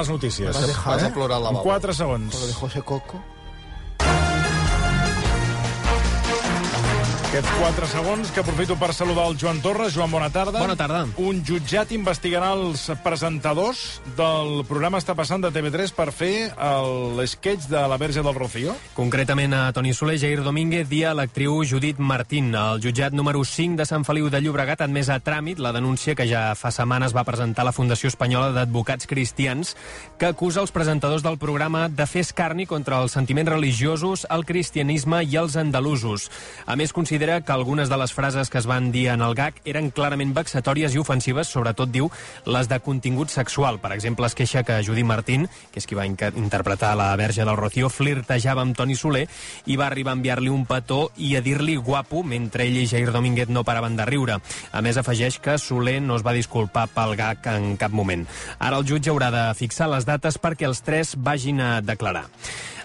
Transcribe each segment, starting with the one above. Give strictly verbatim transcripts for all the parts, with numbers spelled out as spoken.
Les notícies. Vas, dejar, Vas eh? a plorar al lavabo. quatre segons. Lo de José Coco. Aquests quatre segons que aprofito per saludar el Joan Torres. Joan, bona tarda. Bona tarda. Un jutjat investigarà els presentadors del programa Està passant de T V tres per fer l'esquetx de la Verge del Rocío. Concretament a Toni Soler, Jair Domínguez i a l'actriu Judit Martín. El jutjat número cinc de Sant Feliu de Llobregat ha admès a tràmit la denúncia que ja fa setmanes va presentar la Fundació Espanyola d'Advocats Cristians, que acusa els presentadors del programa de fer escarni contra els sentiments religiosos, el cristianisme i els andalusos. A més, considera que algunes de les frases que es van dir en el gag eren clarament vexatòries i ofensives, sobretot, diu, les de contingut sexual. Per exemple, es queixa que Judit Martín, que és qui va interpretar la Verge del Rocío, flirtejava amb Toni Soler i va arribar a enviar-li un petó i a dir-li guapo, mentre ell i Jair Domínguez no paraven de riure. A més, afegeix que Soler no es va disculpar pel gag en cap moment. Ara el jutge haurà de fixar les dates perquè els tres vagin a declarar.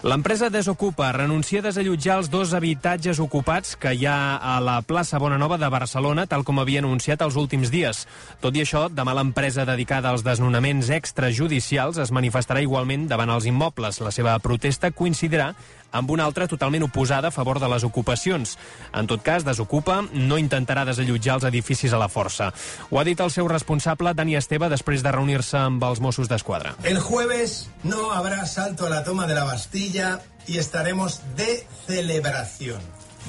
L'empresa Desocupa renuncia a desallotjar els dos habitatges ocupats que hi ha a la plaça Bonanova de Barcelona, tal com havia anunciat els últims dies. Tot i això, demà l'empresa dedicada als desnonaments extrajudicials es manifestarà igualment davant els immobles. La seva protesta coincidirà amb una altra totalment oposada a favor de les ocupacions. En tot cas, Desocupa no intentarà desallotjar els edificis a la força. Ho ha dit el seu responsable, Dani Esteve, després de reunir-se amb els Mossos d'Esquadra. El jueves no habrá asalto a la toma de la Bastilla y estaremos de celebración.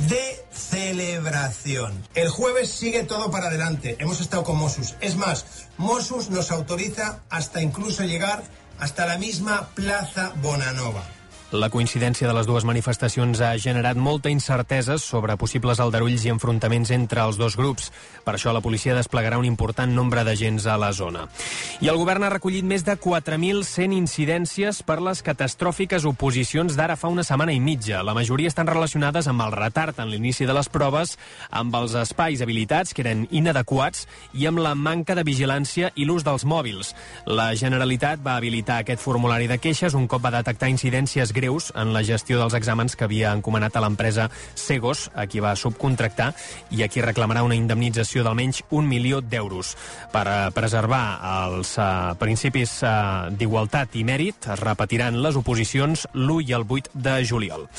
De celebración. El jueves sigue todo para adelante. Hemos estado con Mossos. Es más, Mossos nos autoriza hasta incluso llegar hasta la misma Plaza Bonanova. La coincidència de les dues manifestacions ha generat molta incertesa sobre possibles aldarulls i enfrontaments entre els dos grups. Per això la policia desplegarà un important nombre d'agents a la zona. I el govern ha recollit més de quatre mil cent incidències per les catastròfiques oposicions d'ara fa una setmana i mitja. La majoria estan relacionades amb el retard en l'inici de les proves, amb els espais habilitats, que eren inadequats, i amb la manca de vigilància i l'ús dels mòbils. La Generalitat va habilitar aquest formulari de queixes un cop va detectar incidències greus en la gestió dels exàmens que havia encomanat a l'empresa Segos, a qui va subcontractar i a qui reclamarà una indemnització d'almenys un milió d'euros. Per uh, preservar els uh, principis uh, d'igualtat i mèrit, es repetiran les oposicions l'u i el vuit de juliol.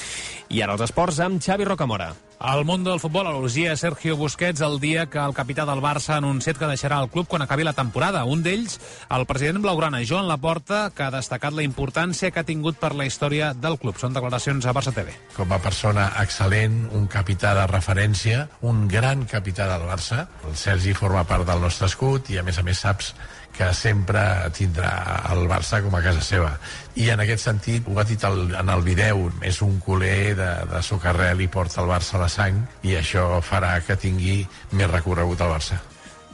I ara els esports amb Xavi Rocamora. Al món del futbol elogia Sergio Busquets el dia que el capità del Barça ha anunciat que deixarà el club quan acabi la temporada. Un d'ells, el president blaugrana, Joan Laporta, que ha destacat la importància que ha tingut per la història del club. Són declaracions a Barça T V. Com a persona excel·lent, un capità de referència, un gran capità del Barça. El Sergi forma part del nostre escut i, a més a més, saps que sempre tindrà el Barça com a casa seva. I en aquest sentit, ho ha dit el, en el vídeo, és un culer de, de socarrel i porta el Barça a la sang, i això farà que tingui més recorregut al Barça.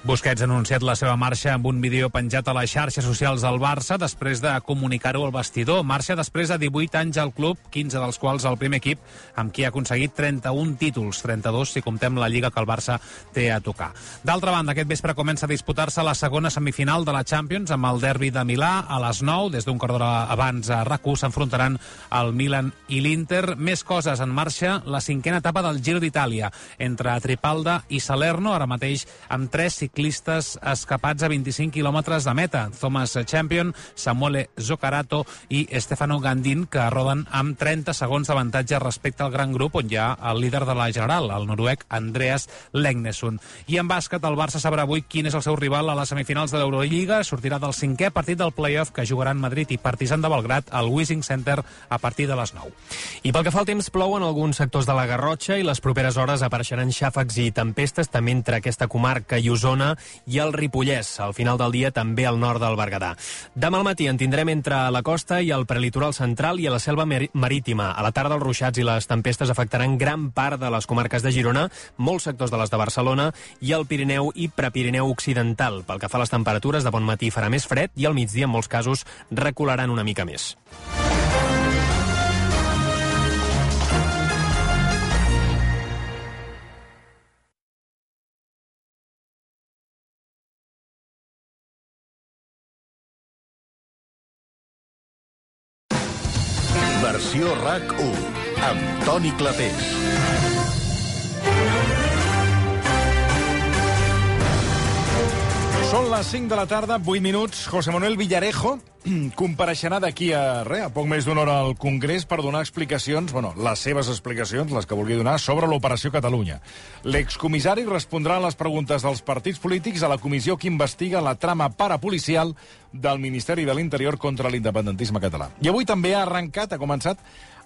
Busquets ha anunciat la seva marxa amb un vídeo penjat a les xarxes socials del Barça després de comunicar-ho al vestidor. Marxa després de divuit anys al club, quinze dels quals al primer equip, amb qui ha aconseguit trenta-un títols, trenta-dos si comptem la Lliga que el Barça té a tocar. D'altra banda, aquest vespre comença a disputar-se la segona semifinal de la Champions amb el derbi de Milà a les nou. Des d'un quart d'hora abans a RAC u s'enfrontaran el Milan i l'Inter. Més coses en marxa, la cinquena etapa del Giro d'Itàlia entre Tripalda i Salerno, ara mateix amb tres ciclistes ciclistes escapats a vint-i-cinc quilòmetres de meta. Thomas Champion, Samuele Zoccarato i Stefano Gandin, que roden amb trenta segons d'avantatge respecte al gran grup on hi ha el líder de la general, el noruec Andreas Legnesund. I en bàsquet, el Barça sabrà avui quin és el seu rival a les semifinals de l'Eurolliga. Sortirà del cinquè partit del play-off que jugaran Madrid i Partizan de Belgrat al Wishing Center a partir de les nou. I pel que fa al temps, plou en alguns sectors de la Garrotxa i les properes hores apareixeran xàfecs i tempestes també entre aquesta comarca i Osona i el Ripollès. Al final del dia també al nord del Berguedà. Demà al matí en tindrem entre la costa i el prelitoral central i a la selva marítima. A la tarda els ruixats i les tempestes afectaran gran part de les comarques de Girona, molts sectors de les de Barcelona i el Pirineu i Prepirineu occidental. Pel que fa a les temperatures, de bon matí farà més fred i al migdia en molts casos recularan una mica més. Versió RAC u, amb Toni Clapés. Són les cinc de la tarda, vuit minuts. José Manuel Villarejo compareixerà d'aquí a res, a poc més d'una hora al Congrés per donar explicacions, bueno, les seves explicacions, les que vulgui donar, sobre l'Operació Catalunya. L'excomissari respondrà a les preguntes dels partits polítics a la comissió que investiga la trama parapolicial del Ministeri de l'Interior contra l'independentisme català. I avui també ha arrencat, ha començat,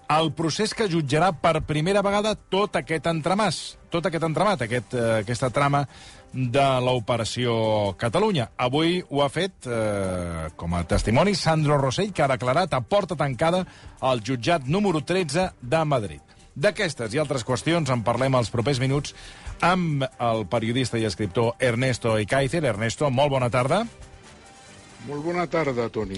el procés que jutjarà per primera vegada tot aquest entramàs, tot aquest entramat, aquest, eh, aquesta trama de l'Operació Catalunya. Avui ho ha fet, eh, com a testimoni, Sandro Rosell, que ha declarat a porta tancada al jutjat número tretze de Madrid. D'aquestes i altres qüestions en parlem als propers minuts amb el periodista i escriptor Ernesto Ekaizer. Ernesto, molt bona tarda. Molt bona tarda, Toni.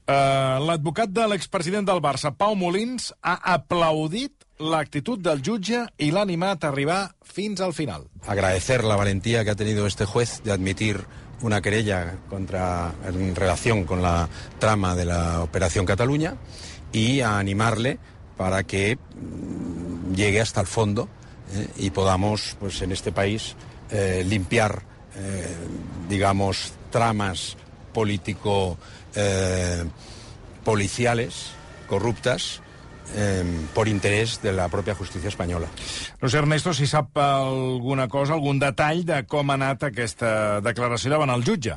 Uh, L'advocat de l'expresident del Barça, Pau Molins, ha aplaudit l'actitud del jutge i l'ha animat a arribar fins al final. Agradecer la valentía que ha tenido este juez de admitir una querella contra, en relación con la trama de la Operación Cataluña y a animarle para que mmm, llegue hasta el fondo eh, y podamos, pues, en este país eh, limpiar, eh, digamos, tramas político eh, policiales corruptas eh, por interés de la propia justícia espanyola. No sé, Ernesto, si sap alguna cosa, algun detall de com ha anat aquesta declaració davant el jutge.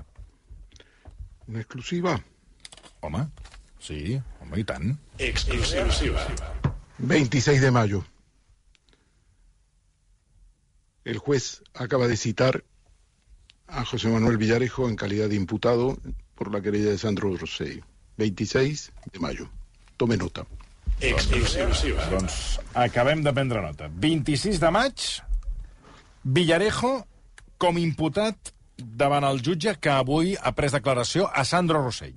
Una exclusiva. Home, sí, home, i tant. Exclusiva. veintiséis de mayo. El juez acaba de citar a José Manuel Villarejo en calidad de imputado por la querella de Sandro Rosell. veintiséis de mayo. Tome nota. Exclusiva. Doncs acabem de prendre nota. vint-i-sis de maig, Villarejo com imputat davant el jutge que avui ha pres declaració a Sandro Rosell.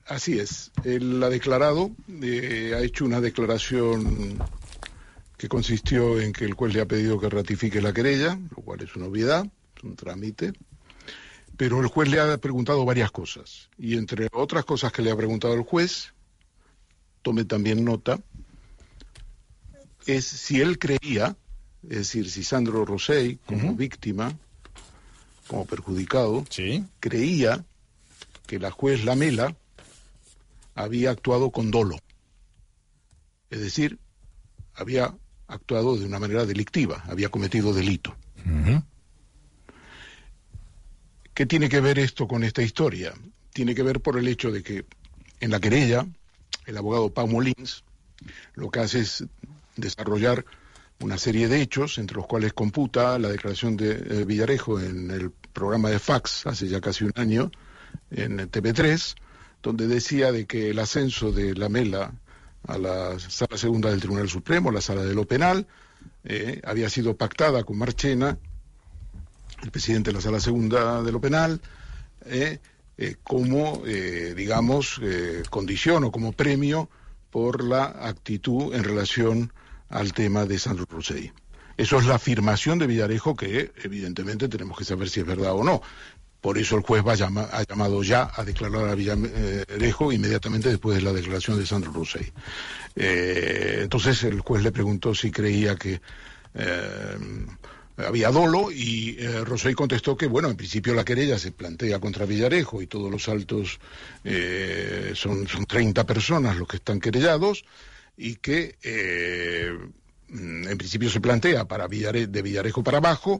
Así es. Él ha declarado, eh, ha hecho una declaración que consistió en que el juez le ha pedido que ratifique la querella, lo cual es una obviedad, es un trámite, pero el juez le ha preguntado varias cosas, y entre otras cosas que le ha preguntado el juez, tome también nota, es si él creía, es decir, si Sandro Rosell, como uh-huh. víctima, como perjudicado, ¿Sí? creía que la juez Lamela había actuado con dolo, es decir, había actuado de una manera delictiva, había cometido delito. Uh-huh. ¿Qué tiene que ver esto con esta historia? Tiene que ver por el hecho de que en la querella, el abogado Pau Molins lo que hace es desarrollar una serie de hechos, entre los cuales computa la declaración de eh, Villarejo en el programa de Fax hace ya casi un año, en T V tres, donde decía de que el ascenso de Lamela a la Sala Segunda del Tribunal Supremo, la Sala de lo Penal, eh, había sido pactada con Marchena, el presidente de la Sala Segunda de lo Penal, eh, eh, como, eh, digamos, eh, condición o como premio por la actitud en relación al tema de Sandro Rosell. Eso es la afirmación de Villarejo que, evidentemente, tenemos que saber si es verdad o no. Por eso el juez va llama, ha llamado ya a declarar a Villarejo inmediatamente después de la declaración de Sandro Rosell. Eh, entonces el juez le preguntó si creía que eh, había dolo y eh, Rosell contestó que, bueno, en principio la querella se plantea contra Villarejo y todos los altos eh, son, son treinta personas los que están querellados y que eh, en principio se plantea para Villare, de Villarejo para abajo,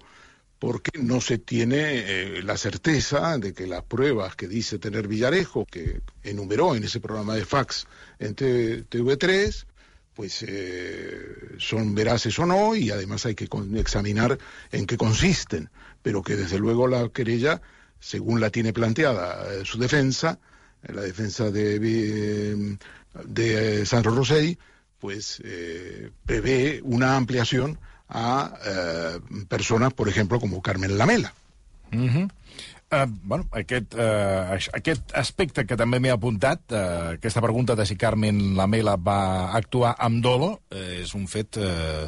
porque no se tiene eh, la certeza de que las pruebas que dice tener Villarejo, que enumeró en ese programa de Fax en T V tres, pues eh, son veraces o no, y además hay que examinar en qué consisten, pero que desde luego la querella, según la tiene planteada eh, su defensa, eh, la defensa de, eh, de eh, Sandro Rosell, pues eh, prevé una ampliación a eh, persones, per exemple, com Carmen Lamela. Uh-huh. Uh, bueno, aquest, uh, aquest aspecte que també m'he apuntat, uh, aquesta pregunta de si Carmen Lamela va actuar amb dolo, uh, és un fet uh,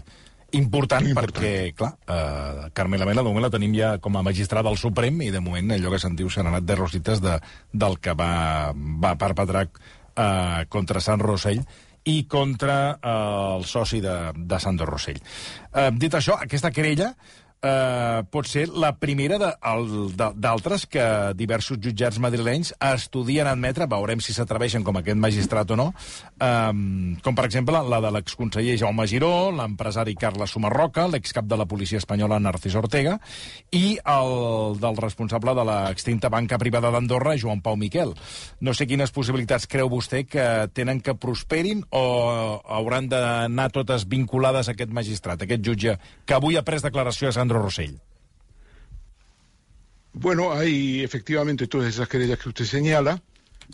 important, important, perquè, clar, uh, Carmen Lamela de moment la tenim ja com a magistrada del Suprem i de moment allò que se'n diu s'han anat de rosites de, del que va, va perpetrar uh, contra Sant Rosell i contra eh, el soci de, de Sandro Rosell. Eh, dit això, aquesta querella eh, pot ser la primera d'altres que diversos jutjats madrilenys estudien admetre, veurem si s'atreveixen com aquest magistrat o no, eh, com per exemple la de l'exconseller Jaume Giró, l'empresari Carles Sumarroca, l'excap de la policia espanyola Narcís Ortega i el del responsable de l'extinta banca privada d'Andorra, Joan Pau Miquel. No sé quines possibilitats creu vostè que tenen que prosperin o hauran d'anar totes vinculades a aquest magistrat, a aquest jutge que avui ha pres declaració a Sandro Rosell. Bueno, hay efectivamente todas esas querellas que usted señala.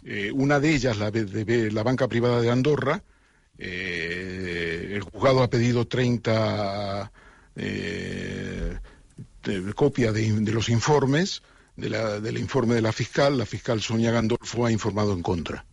Eh, una de ellas, la de, de la banca privada de Andorra, eh, el juzgado ha pedido treinta eh, copias de, de los informes, de la, del informe de la fiscal. La fiscal Sonia Gandolfo ha informado en contra.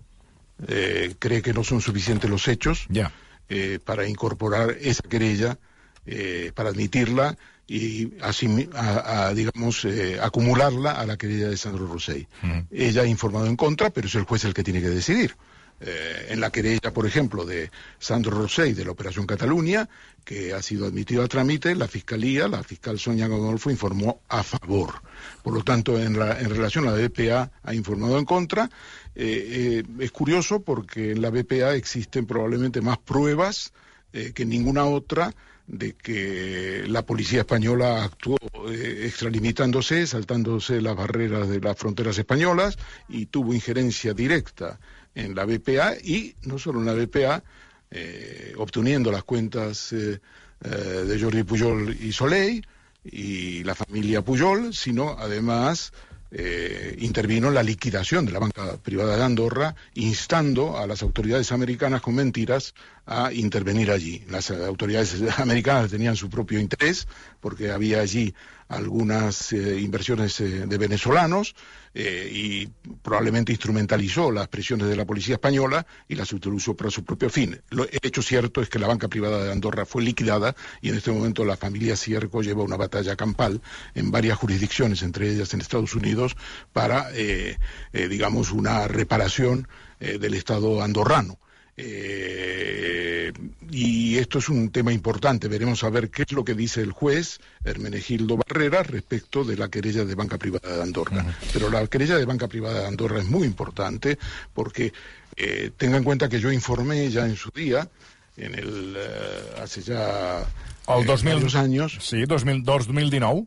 Eh, cree que no son suficientes los hechos yeah. eh, para incorporar esa querella, eh, para admitirla y así, a, a, digamos, eh, acumularla a la querella de Sandro Rosell. Mm. Ella ha informado en contra, pero es el juez el que tiene que decidir. Eh, en la querella, por ejemplo, de Sandro Rosell de la Operación Cataluña, que ha sido admitido a trámite, la Fiscalía, la fiscal Sonia Gandolfo informó a favor. Por lo tanto, en, la, en relación a la B P A, ha informado en contra. Eh, eh, es curioso porque en la B P A existen probablemente más pruebas eh, que en ninguna otra de que la policía española actuó eh, extralimitándose, saltándose las barreras de las fronteras españolas y tuvo injerencia directa en la B P A y no solo en la B P A, eh, obteniendo las cuentas eh, eh, de Jordi Pujol y Soleil y la familia Pujol, sino además eh, intervino en la liquidación de la banca privada de Andorra, instando a las autoridades americanas con mentiras a intervenir allí. Las autoridades americanas tenían su propio interés porque había allí algunas eh, inversiones eh, de venezolanos eh, y probablemente instrumentalizó las presiones de la policía española y las utilizó para su propio fin. Lo, el hecho cierto es que la banca privada de Andorra fue liquidada y en este momento la familia Cierco lleva una batalla campal en varias jurisdicciones, entre ellas en Estados Unidos, para, eh, eh, digamos, una reparación eh, del Estado andorrano. Eh, y esto es un tema importante. Veremos a ver qué es lo que dice el juez Hermenegildo Barrera respecto de la querella de banca privada de Andorra. Uh-huh. Pero la querella de banca privada de Andorra es muy importante porque eh, tenga en cuenta que yo informé ya en su día, en el eh, hace ya el dos mil, varios años, sí, dos mil, dos mil dinou,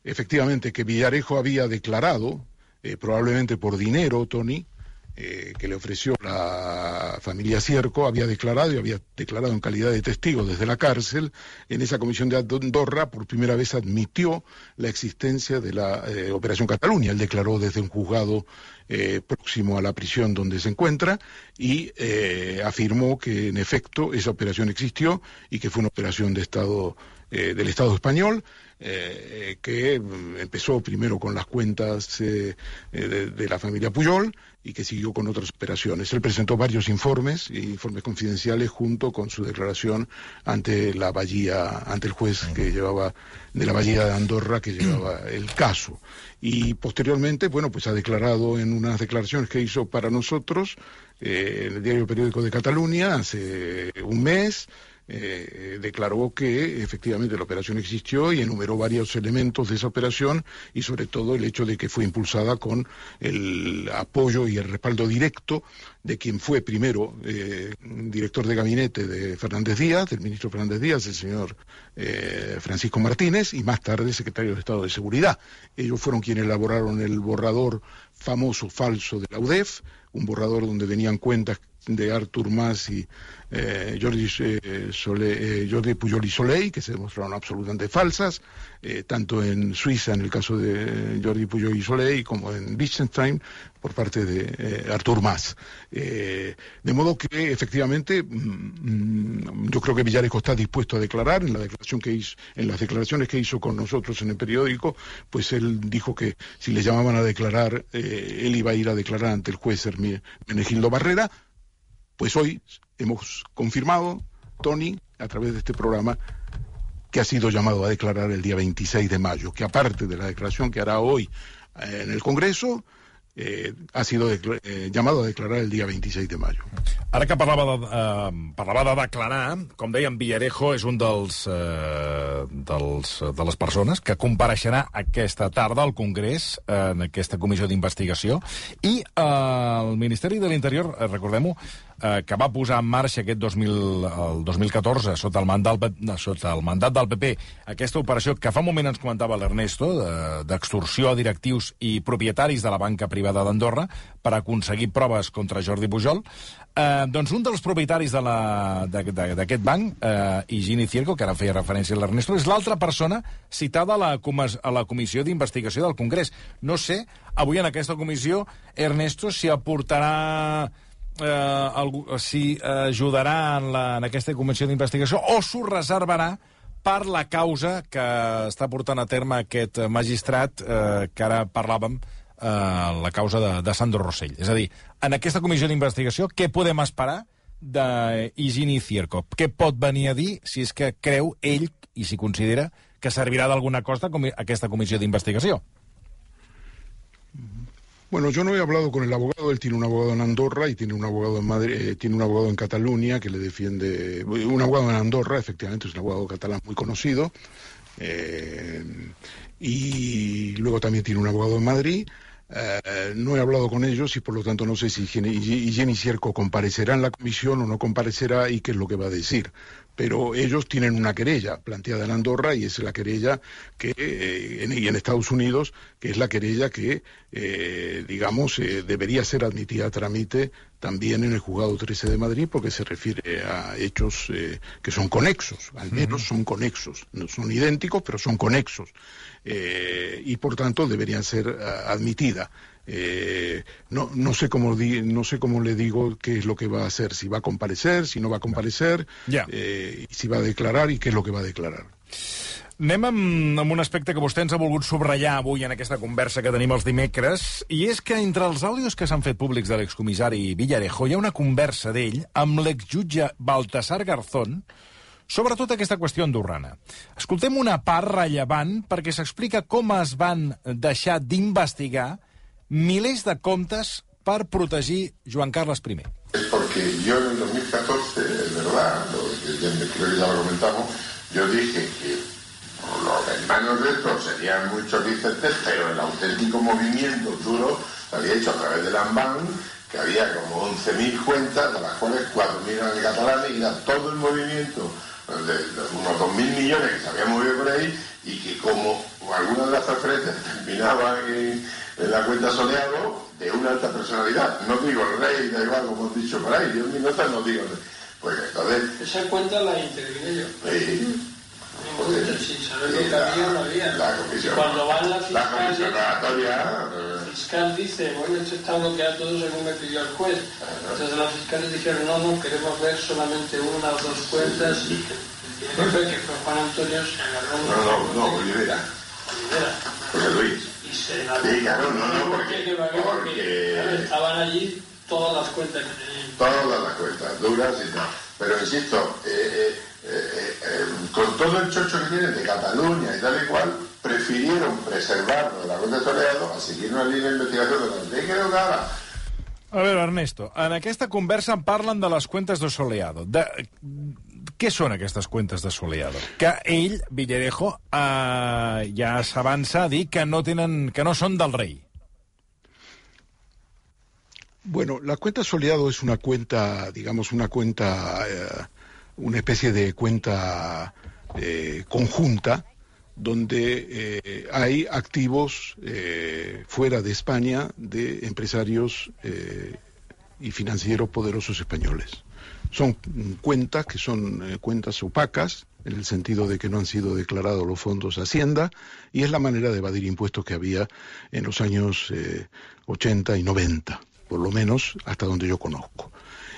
efectivamente, que Villarejo había declarado, eh, probablemente por dinero, Tony, Eh, que le ofreció la familia Cierco, había declarado y había declarado en calidad de testigo desde la cárcel en esa comisión de Andorra, por primera vez admitió la existencia de la eh, Operación Cataluña. Él declaró desde un juzgado eh, próximo a la prisión donde se encuentra y eh, afirmó que en efecto esa operación existió y que fue una operación de Estado, eh, del Estado español, eh, que empezó primero con las cuentas eh, de, de la familia Pujol y que siguió con otras operaciones. Él presentó varios informes, informes confidenciales, junto con su declaración ante la Bahía, ante el juez que llevaba, de la Bahía de Andorra, que llevaba el caso. Y posteriormente, bueno, pues ha declarado en unas declaraciones que hizo para nosotros, eh, en el diario Periódico de Cataluña, hace un mes, Eh, declaró que efectivamente la operación existió y enumeró varios elementos de esa operación y sobre todo el hecho de que fue impulsada con el apoyo y el respaldo directo de quien fue primero eh, director de gabinete de Fernández Díaz, del ministro Fernández Díaz, el señor eh, Francisco Martínez, y más tarde secretario de Estado de Seguridad. Ellos fueron quienes elaboraron el borrador famoso falso de la U D E F, un borrador donde venían cuentas de Artur Mas y eh, Jordi, eh, Sole, eh, Jordi Pujol y Soleil, que se demostraron absolutamente falsas, eh, tanto en Suiza, en el caso de Jordi Pujol y Soleil, como en Liechtenstein, por parte de eh, Artur Mas. Eh, de modo que, efectivamente, mmm, yo creo que Villarejo está dispuesto a declarar. En la declaración que hizo, en las declaraciones que hizo con nosotros en el periódico, pues él dijo que si le llamaban a declarar, eh, él iba a ir a declarar ante el juez Hermenegildo Barrera. Pues hoy hemos confirmado, Tony, a través de este programa, que ha sido llamado a declarar el día veintiséis de mayo, que aparte de la declaración que hará hoy eh, en el Congreso, eh, ha sido eh, llamado a declarar el día veintiséis de mayo. Ara que parlava de, eh, parlava de declarar, com dèiem, Villarejo és un dels, eh, dels de les persones que compareixerà aquesta tarda al Congrés eh, en aquesta comissió d'investigació, i eh, el Ministeri de l'Interior, eh, recordem-ho, eh, que va posar en marxa aquest dos mil, el dos mil catorze sota el, mandat, sota el mandat del P P aquesta operació que fa un moment ens comentava l'Ernesto, d'extorsió a directius i propietaris de la banca privada d'Andorra per aconseguir proves contra Jordi Pujol. Eh, doncs un dels propietaris d'aquest de banc, eh, Higini Cierco, que ara feia referència a l'Ernesto, és l'altra persona citada a la, a la comissió d'investigació del Congrés. No sé, avui en aquesta comissió, Ernesto, si aportarà... Eh, algú, si ajudarà en, la, en aquesta comissió d'investigació o s'ho reservarà per la causa que està portant a terme aquest magistrat eh, que ara parlàvem, eh, la causa de, de Sandro Rosell. És a dir, en aquesta comissió d'investigació, què podem esperar d'Higini Cierco? Què pot venir a dir si és que creu ell, i si considera, que servirà d'alguna cosa com aquesta comissió d'investigació? Bueno, yo no he hablado con el abogado, él tiene un abogado en Andorra y tiene un abogado en Madrid, eh, tiene un abogado en Cataluña que le defiende, un abogado en Andorra, efectivamente, es un abogado catalán muy conocido, eh, y luego también tiene un abogado en Madrid. Eh, no he hablado con ellos y por lo tanto no sé si Higini Cierco comparecerá en la comisión o no comparecerá y qué es lo que va a decir. Pero ellos tienen una querella planteada en Andorra y es la querella que, eh, en, y en Estados Unidos, que es la querella que, eh, digamos, eh, debería ser admitida a trámite también en el Juzgado trece de Madrid, porque se refiere a hechos eh, que son conexos, al menos son conexos, no son idénticos, pero son conexos, eh, y por tanto deberían ser uh, admitidas. Eh, no, no sé cómo di, no sé cómo le digo qué es lo que va a hacer, si va a comparecer, si no va a comparecer, yeah. eh, si va a declarar y qué es lo que va a declarar. Anem amb, amb un aspecte que vostè ens ha volgut subratllar avui en aquesta conversa que tenim els dimecres, i és que entre els àudios que s'han fet públics de l'excomissari Villarejo hi ha una conversa d'ell amb l'exjutge Baltasar Garzón sobre tota aquesta qüestió andorrana. Escoltem una part rellevant perquè s'explica com es van deixar d'investigar milers de comptes per protegir Joan Carles I. Es porque yo en el dos mil catorce, es verdad, lo, creo que ya lo comentamos, yo dije que los hermanos de estos serían muy choricentes, pero el auténtico movimiento duro se había hecho a través del AMBAN, que había como once mil cuentas, de las cuales cuatro mil eran catalanes, y era todo el movimiento de, de unos dos mil millones que se habían movido por ahí, y que como algunas de las transferencias terminaban en, en la cuenta Soleado, de una alta personalidad, no digo el rey, da igual como he dicho por ahí, yo en mi nota no digo el rey. Pues entonces... Esa cuenta la intervine yo. Sí. Pues, sin saber lo que había, no había. La comisión, cuando van la fiscal, la comisión relatoria, el fiscal dice, bueno, esto está bloqueado todo según me pidió el juez. Entonces los fiscales dijeron, no, no, queremos ver solamente una o dos cuentas. Y el jefe, que fue Juan Antonio, se agarró... No, no, no, Olivera. Olivera. José Luis. Y se la... Sí, claro, no, no, porque... porque, porque... Claro, estaban allí todas las cuentas que tenían. Todas las cuentas, duras y tal. Pero insisto, eh, eh, eh, eh, con todo el chocho que tienen de Cataluña y tal y cual, prefirieron preservarlo de la cuenta de Soleado a seguir una línea de investigación de la ley que no daba. A veure, Ernesto, en aquesta conversa em parlen de les cuentes de Soleado. De... Què són aquestes cuentes de Soleado? Que ell, Villarejo, eh, ja s'avança a dir que no, tenen, que no són del rei. Bueno, la cuenta Soleado es una cuenta, digamos, una cuenta, eh, una especie de cuenta eh, conjunta, donde eh, hay activos eh, fuera de España de empresarios eh, y financieros poderosos españoles. Son cuentas que son eh, cuentas opacas, en el sentido de que no han sido declarados los fondos a Hacienda, y es la manera de evadir impuestos que había en los años eh, ochenta y noventa, por lo menos hasta donde yo conozco.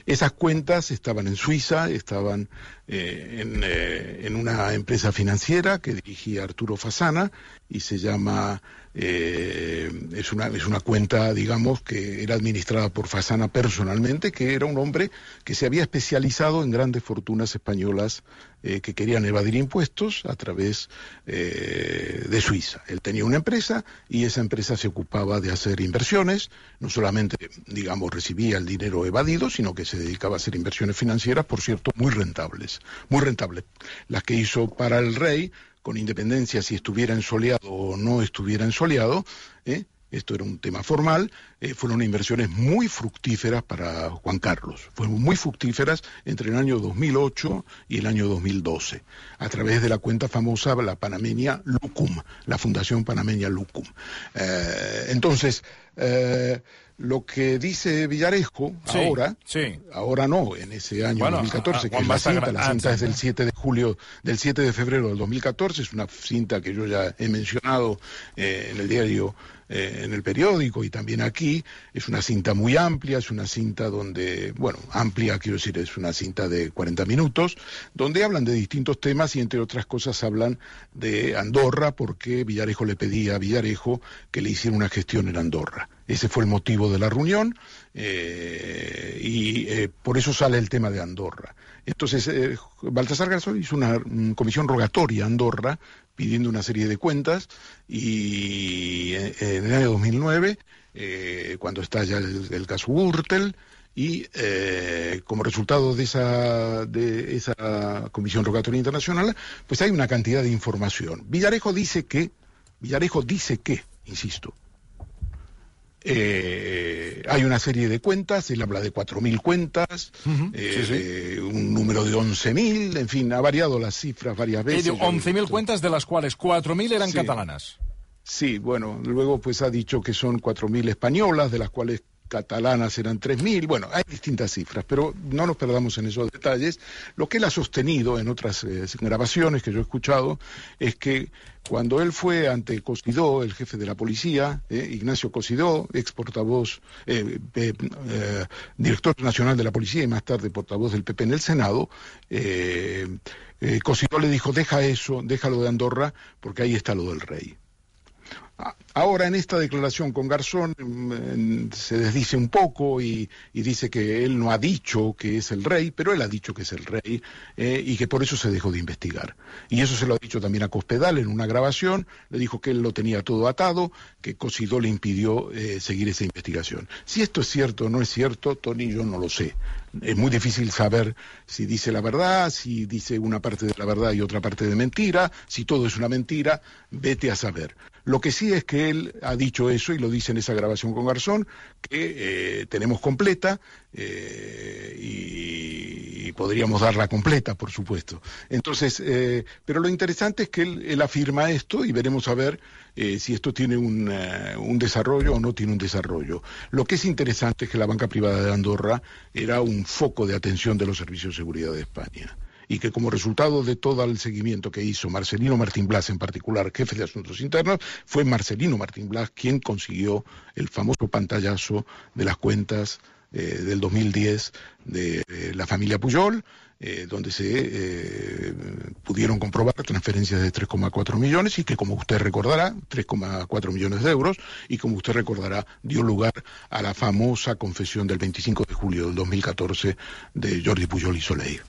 Esas cuentas estaban en Suiza, estaban eh, en, eh, en una empresa financiera que dirigía Arturo Fasana, y se llama, eh, es, una, es una cuenta, digamos, que era administrada por Fasana personalmente, que era un hombre que se había especializado en grandes fortunas españolas eh, que querían evadir impuestos a través eh, de Suiza. Él tenía una empresa y esa empresa se ocupaba de hacer inversiones, no solamente, digamos, recibía el dinero evadido, sino que se dedicaba a hacer inversiones financieras, por cierto, muy rentables, muy rentables. Las que hizo para el rey, con independencia si estuviera ensoleado o no estuviera ensoleado, ¿eh? Esto era un tema formal, eh, fueron inversiones muy fructíferas para Juan Carlos, fueron muy fructíferas entre el año dos mil ocho y el año dos mil doce, a través de la cuenta famosa, la panameña Lucum, la Fundación Panameña Lucum. Eh, entonces, eh, lo que dice Villarejo, sí, ahora, sí. ahora no, en ese año bueno, dos mil catorce, a, a, que es la cinta, la cinta es del siete de julio, del siete de febrero del dos mil catorce, es una cinta que yo ya he mencionado eh, en el diario, eh, en el periódico y también aquí, es una cinta muy amplia, es una cinta donde, bueno, amplia quiero decir, es una cinta de cuarenta minutos, donde hablan de distintos temas y entre otras cosas hablan de Andorra, porque Villarejo le pedía a Villarejo que le hiciera una gestión en Andorra. Ese fue el motivo de la reunión eh, y eh, por eso sale el tema de Andorra. Entonces, eh, Baltasar Garzón hizo una um, comisión rogatoria a Andorra pidiendo una serie de cuentas y eh, en el año dos mil nueve, eh, cuando estalla el, el caso Gürtel, y eh, como resultado de esa, de esa comisión rogatoria internacional, pues hay una cantidad de información. Villarejo dice que, Villarejo dice que, insisto, Eh, hay una serie de cuentas, él habla de cuatro mil cuentas, uh-huh. eh, sí, sí. Eh, un número de once mil, en fin, ha variado las cifras varias veces. once mil cuentas, de las cuales cuatro mil eran sí. catalanas. Sí, bueno, luego pues ha dicho que son cuatro mil españolas, de las cuales catalanas eran tres mil, bueno, hay distintas cifras, pero no nos perdamos en esos detalles. Lo que él ha sostenido en otras eh, grabaciones que yo he escuchado es que cuando él fue ante Cosidó, el jefe de la policía, eh, Ignacio Cosidó, ex portavoz, eh, eh, eh, director nacional de la policía y más tarde portavoz del P P en el Senado, eh, eh, Cosidó le dijo, deja eso, déjalo de Andorra, porque ahí está lo del rey. Ahora en esta declaración con Garzón eh, se desdice un poco y, y dice que él no ha dicho que es el rey, pero él ha dicho que es el rey eh, y que por eso se dejó de investigar. Y eso se lo ha dicho también a Cospedal en una grabación, le dijo que él lo tenía todo atado, que Cosidó le impidió eh, seguir esa investigación. Si esto es cierto o no es cierto, Tony, yo no lo sé. Es muy difícil saber si dice la verdad, si dice una parte de la verdad y otra parte de mentira, si todo es una mentira, vete a saber. Lo que sí es que él ha dicho eso, y lo dice en esa grabación con Garzón, que eh, tenemos completa, eh, y, y podríamos darla completa, por supuesto. Entonces, eh, pero lo interesante es que él, él afirma esto, y veremos a ver eh, si esto tiene un, uh, un desarrollo o no tiene un desarrollo. Lo que es interesante es que la banca privada de Andorra era un foco de atención de los servicios de seguridad de España, y que como resultado de todo el seguimiento que hizo Marcelino Martín Blas, en particular jefe de Asuntos Internos, fue Marcelino Martín Blas quien consiguió el famoso pantallazo de las cuentas eh, del dos mil diez de, de la familia Pujol, eh, donde se eh, pudieron comprobar transferencias de tres coma cuatro millones y que, como usted recordará, tres coma cuatro millones de euros, y como usted recordará, dio lugar a la famosa confesión del veinticinco de julio del dos mil catorce de Jordi Pujol i Soler.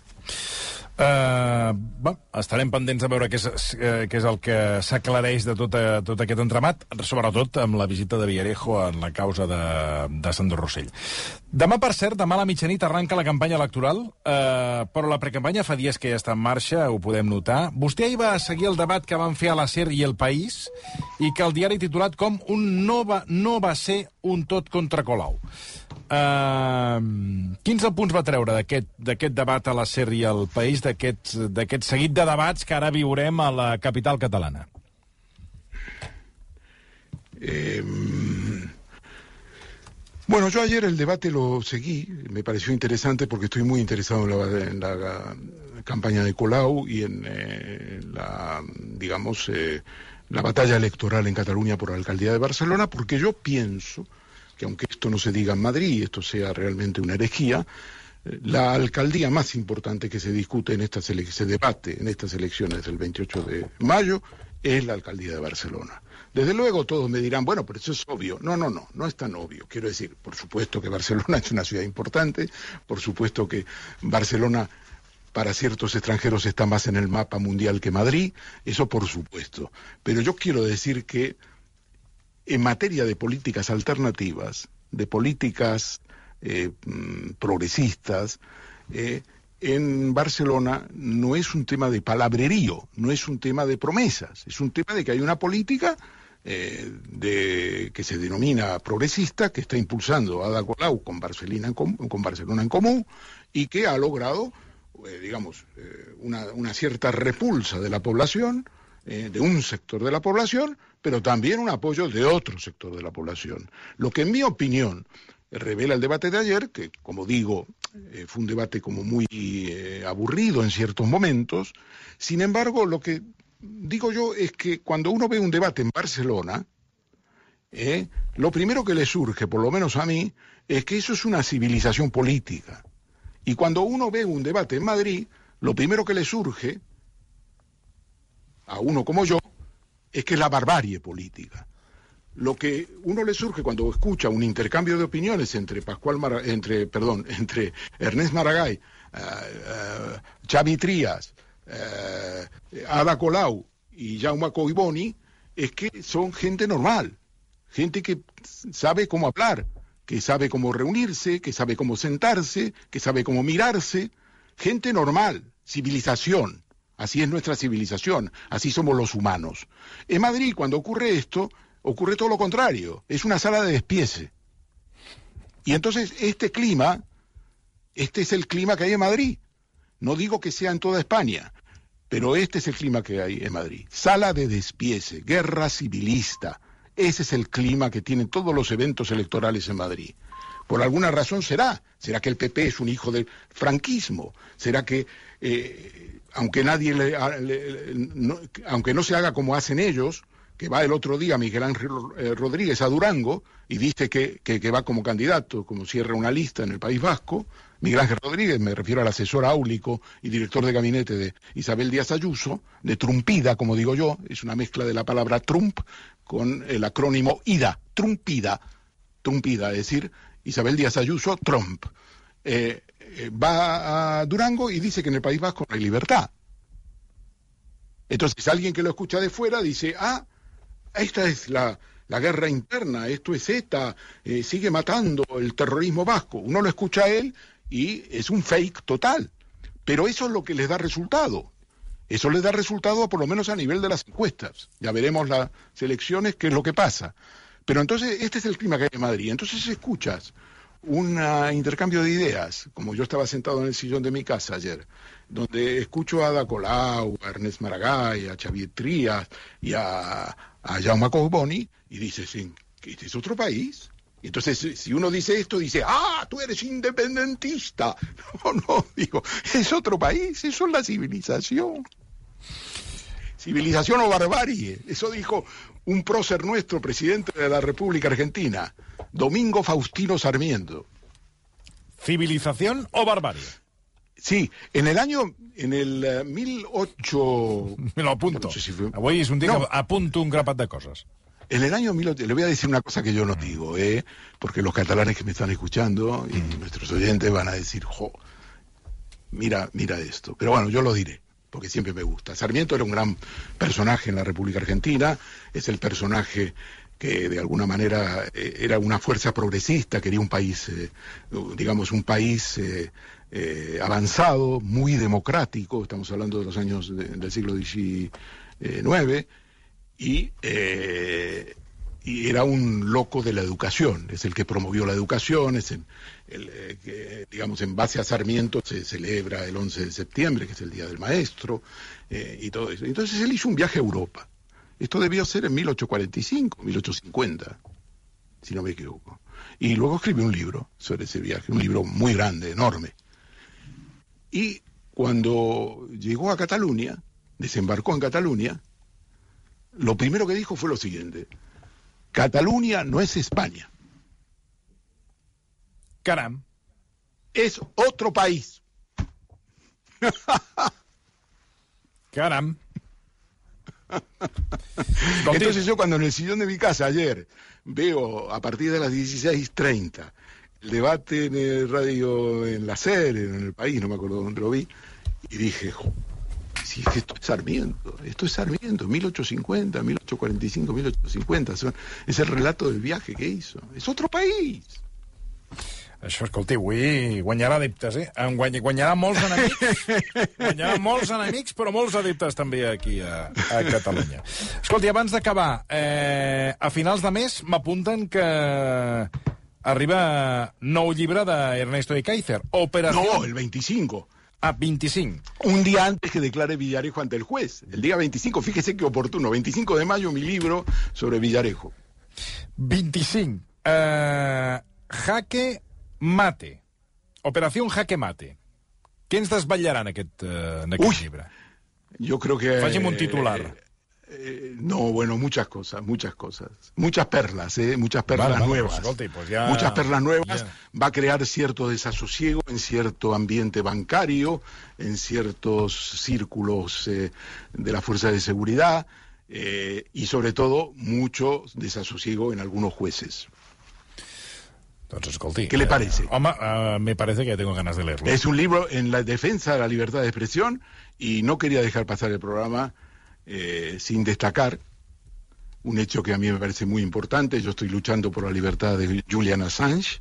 Uh, bueno, estarem pendents a veure què és, què és el que s'aclareix de tot, a, tot aquest entramat, sobretot amb la visita de Villarejo en la causa de, de Sandro Rossell. Demà, per cert, demà a la mitjanit arranca la campanya electoral, uh, però la precampanya fa dies que ja està en marxa, ho podem notar. Vostè ahir va seguir el debat que van fer a la SER i El País, i que el diari titulat com un no va, no va ser un tot contra Colau. Uh, quins punts va treure d'aquest debat a la SER i al País, d'aquest seguit de debats que ara viurem a la capital catalana? Eh, bueno, yo ayer el debate lo seguí, me pareció interesante porque estoy muy interesado en la, en la campaña de Colau y en eh, la, digamos, eh, la batalla electoral en Cataluña por la alcaldía de Barcelona, porque yo pienso que aunque esto no se diga en Madrid y esto sea realmente una herejía, la alcaldía más importante que se discute en estas ele- se debate en estas elecciones del veintiocho de mayo es la alcaldía de Barcelona. Desde luego todos me dirán, bueno, pero eso es obvio. No, no, no, no es tan obvio. Quiero decir, por supuesto que Barcelona es una ciudad importante, por supuesto que Barcelona para ciertos extranjeros está más en el mapa mundial que Madrid, eso por supuesto. Pero yo quiero decir que en materia de políticas alternativas, de políticas eh, progresistas, eh, en Barcelona no es un tema de palabrerío, no es un tema de promesas, es un tema de que hay una política eh, de, que se denomina progresista, que está impulsando Ada Colau con Barcelona en, com, con Barcelona en Comú, y que ha logrado, eh, digamos, eh, una, una cierta repulsa de la población, eh, de un sector de la población, pero también un apoyo de otro sector de la población. Lo que en mi opinión revela el debate de ayer, que como digo, eh, fue un debate como muy eh, aburrido en ciertos momentos. Sin embargo, lo que digo yo es que cuando uno ve un debate en Barcelona, eh, lo primero que le surge, por lo menos a mí, es que eso es una civilización política. Y cuando uno ve un debate en Madrid, lo primero que le surge, a uno como yo, es que es la barbarie política. Lo que uno le surge cuando escucha un intercambio de opiniones entre Pascual Mar entre perdón entre Ernest Maragall, uh, uh, Xavi Trias, uh, Ada Colau y Jaume Collboni, es que son gente normal, gente que sabe cómo hablar, que sabe cómo reunirse, que sabe cómo sentarse, que sabe cómo mirarse, gente normal, civilización. Así es nuestra civilización, así somos los humanos. En Madrid, cuando ocurre esto, ocurre todo lo contrario, es una sala de despiece. Y entonces este clima, este es el clima que hay en Madrid. No digo que sea en toda España, pero este es el clima que hay en Madrid. Sala de despiece, guerra civilista. Ese es el clima que tienen todos los eventos electorales en Madrid. Por alguna razón será. ¿Será que el P P es un hijo del franquismo? ¿Será que, eh, aunque nadie le, le, no, aunque no se haga como hacen ellos, que va el otro día Miguel Ángel Rodríguez a Durango y dice que, que, que va como candidato, como cierra una lista en el País Vasco? Miguel Ángel Rodríguez, me refiero al asesor áulico y director de gabinete de Isabel Díaz Ayuso, de Trumpida, como digo yo, es una mezcla de la palabra Trump con el acrónimo IDA, Trumpida, Trumpida, es decir, Isabel Díaz Ayuso, Trump. Eh, eh, va a Durango y dice que en el País Vasco no hay libertad. Entonces alguien que lo escucha de fuera dice, ah, esta es la, la guerra interna, esto es ETA, eh, sigue matando el terrorismo vasco. Uno lo escucha a él y es un fake total. Pero eso es lo que les da resultado. Eso les da resultado por lo menos a nivel de las encuestas. Ya veremos las elecciones qué es lo que pasa. Pero entonces este es el clima que hay en Madrid. Entonces escuchas un uh, intercambio de ideas, como yo estaba sentado en el sillón de mi casa ayer, donde escucho a Ada Colau, a Ernest Maragall, a Xavier Trias y a, a Jaume Collboni, y dices, ¿este es otro país? Y entonces, si uno dice esto, dice, ¡ah, tú eres independentista! No, no, digo, es otro país, eso es la civilización. Civilización o barbarie, eso dijo un prócer nuestro, presidente de la República Argentina, Domingo Faustino Sarmiento. ¿Civilización o barbarie? Sí, en el año, en el uh, mil ocho... Me lo apunto. No sé si fue... Avui és un dia no. que apunto un grapat de coses. En el año mil ocho... Le voy a decir una cosa que yo no digo, ¿eh? Porque los catalanes que me están escuchando y mm. nuestros oyentes van a decir, jo, mira, mira esto. Pero bueno, yo lo diré, porque siempre me gusta. Sarmiento era un gran personaje en la República Argentina, es el personaje que de alguna manera eh, era una fuerza progresista, quería un país, eh, digamos, un país eh, eh, avanzado, muy democrático, estamos hablando de los años de, del siglo diecinueve, y, eh, y era un loco de la educación, es el que promovió la educación, es el, el eh, que, digamos, en base a Sarmiento se celebra el once de septiembre, que es el Día del Maestro, eh, y todo eso. Entonces él hizo un viaje a Europa. Esto debió ser en mil ochocientos cuarenta y cinco, mil ochocientos cincuenta, si no me equivoco. Y luego escribió un libro sobre ese viaje, un libro muy grande, enorme. Y cuando llegó a Cataluña, desembarcó en Cataluña, lo primero que dijo fue lo siguiente: Cataluña no es España. Caram. Es otro país. Caram. Entonces yo cuando en el sillón de mi casa ayer veo a partir de las dieciséis treinta el debate en el radio, en la SER, en el país, no me acuerdo dónde lo vi, y dije, si es que esto es Sarmiento, esto es Sarmiento, mil ochocientos cincuenta, mil ochocientos cuarenta y cinco, mil ochocientos cincuenta, son, es el relato del viaje que hizo, es otro país. Això, escolti, avui guanyarà adeptes, eh? Guany, guanyarà molts enemics, guanyarà molts enemics, però molts adeptes també aquí a, a Catalunya. Escolti, abans d'acabar, eh, a finals de mes m'apunten que arriba nou llibre d'Ernesto de Kaiser, Operación... No, el veinticinco. Ah, veinticinco. Un día antes que declare Villarejo ante el juez. El día veinticinco, fíjese qué oportuno, veinticinco de mayo, mi libro sobre Villarejo. veinticinco. Uh, Jaque Mate. Operación Jaque Mate. Què ens desvetllarà en aquest, uh, en aquest Uy, llibre? Yo creo que... Faci'm un titular. Eh, eh, no, bueno, muchas cosas, muchas cosas. Muchas perlas, ¿eh? Muchas perlas vale, vale, nuevas. Pues, escolti, pues ya... Muchas perlas nuevas. Ya. Va a crear cierto desasosiego en cierto ambiente bancario, en ciertos círculos eh, de la fuerza de seguridad eh, y sobre todo mucho desasosiego en algunos jueces. Doncs escolti... ¿Qué le parece? Eh, home, uh, me parece que tengo ganas de leerlo. Es un libro en la defensa de la libertad de expresión y no quería dejar pasar el programa eh, sin destacar un hecho que a mí me parece muy importante. Yo estoy luchando por la libertad de Julian Assange,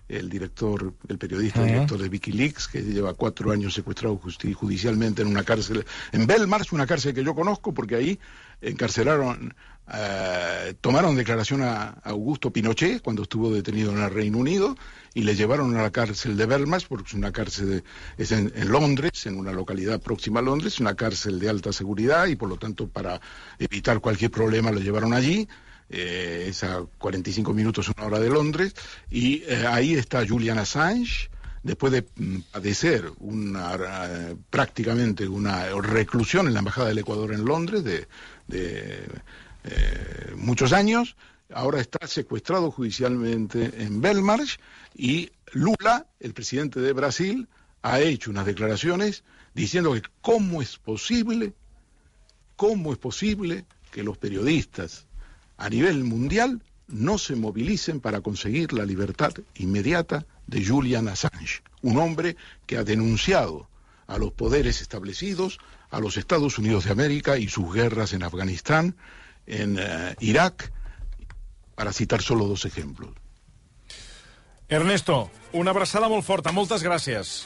el director, el periodista uh-huh. director de Wikileaks, que lleva cuatro años secuestrado judicialmente en una cárcel, en Belmarsh, una cárcel que yo conozco, porque ahí encarcelaron, eh, tomaron declaración a Augusto Pinochet cuando estuvo detenido en el Reino Unido y le llevaron a la cárcel de Belmarsh, porque es una cárcel, de, es en, en Londres, en una localidad próxima a Londres, una cárcel de alta seguridad y por lo tanto para evitar cualquier problema lo llevaron allí. Eh, es a cuarenta y cinco minutos, una hora de Londres, y eh, ahí está Julian Assange, después de mm, padecer una, uh, prácticamente una reclusión en la Embajada del Ecuador en Londres de, de eh, muchos años, ahora está secuestrado judicialmente en Belmarsh, y Lula, el presidente de Brasil, ha hecho unas declaraciones diciendo que cómo es posible, cómo es posible que los periodistas a nivel mundial no se movilicen para conseguir la libertad inmediata de Julian Assange, un hombre que ha denunciado a los poderes establecidos, a los Estados Unidos de América y sus guerras en Afganistán, en uh, Irak, para citar solo dos ejemplos. Ernesto, una abraçada molt forta, moltes gràcies.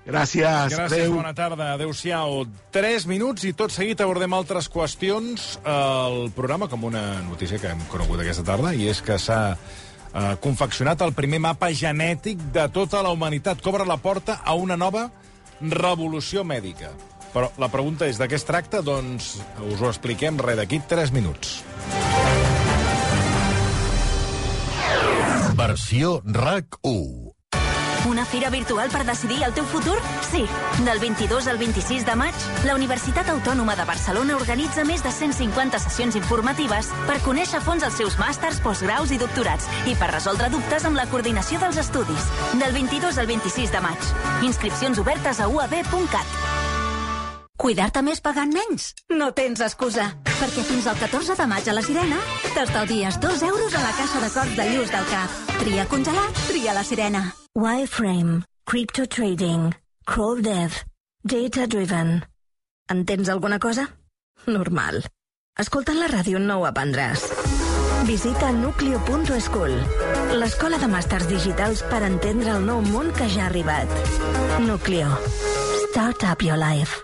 Gràcies. Gràcies, adeu. bona tarda, adeu-siau. Tres minuts i tot seguit abordem altres qüestions al programa, com una notícia que hem conegut aquesta tarda, i és que s'ha eh, confeccionat el primer mapa genètic de tota la humanitat. Cobra la porta a una nova revolució mèdica. Però la pregunta és, de què es tracta? Doncs us ho expliquem res d'aquí tres minuts. Versió RAC u. Una fira virtual per decidir el teu futur? Sí. Del vint-i-dos al vint-i-sis de maig, la Universitat Autònoma de Barcelona organitza més de cent cinquanta sessions informatives per conèixer a fons els seus màsters, postgraus i doctorats i per resoldre dubtes amb la coordinació dels estudis. Del vint-i-dos al vint-i-sis de maig. Inscripcions obertes a u a be punt cat. Cuidar-te més pagant menys? No tens excusa, perquè fins al catorze de maig a la Sirena t'estalvies dos euros a la caixa de corts de Lluç del Cap. Tria congelat, tria la Sirena. Wireframe, Crypto Trading, Crawl Dev, Data Driven. Entens alguna cosa? Normal. Escoltant la ràdio no ho aprendràs. Visita nucleo punt school, l'escola de màsters digitals per entendre el nou món que ja ha arribat. Nucleo. Start up your life.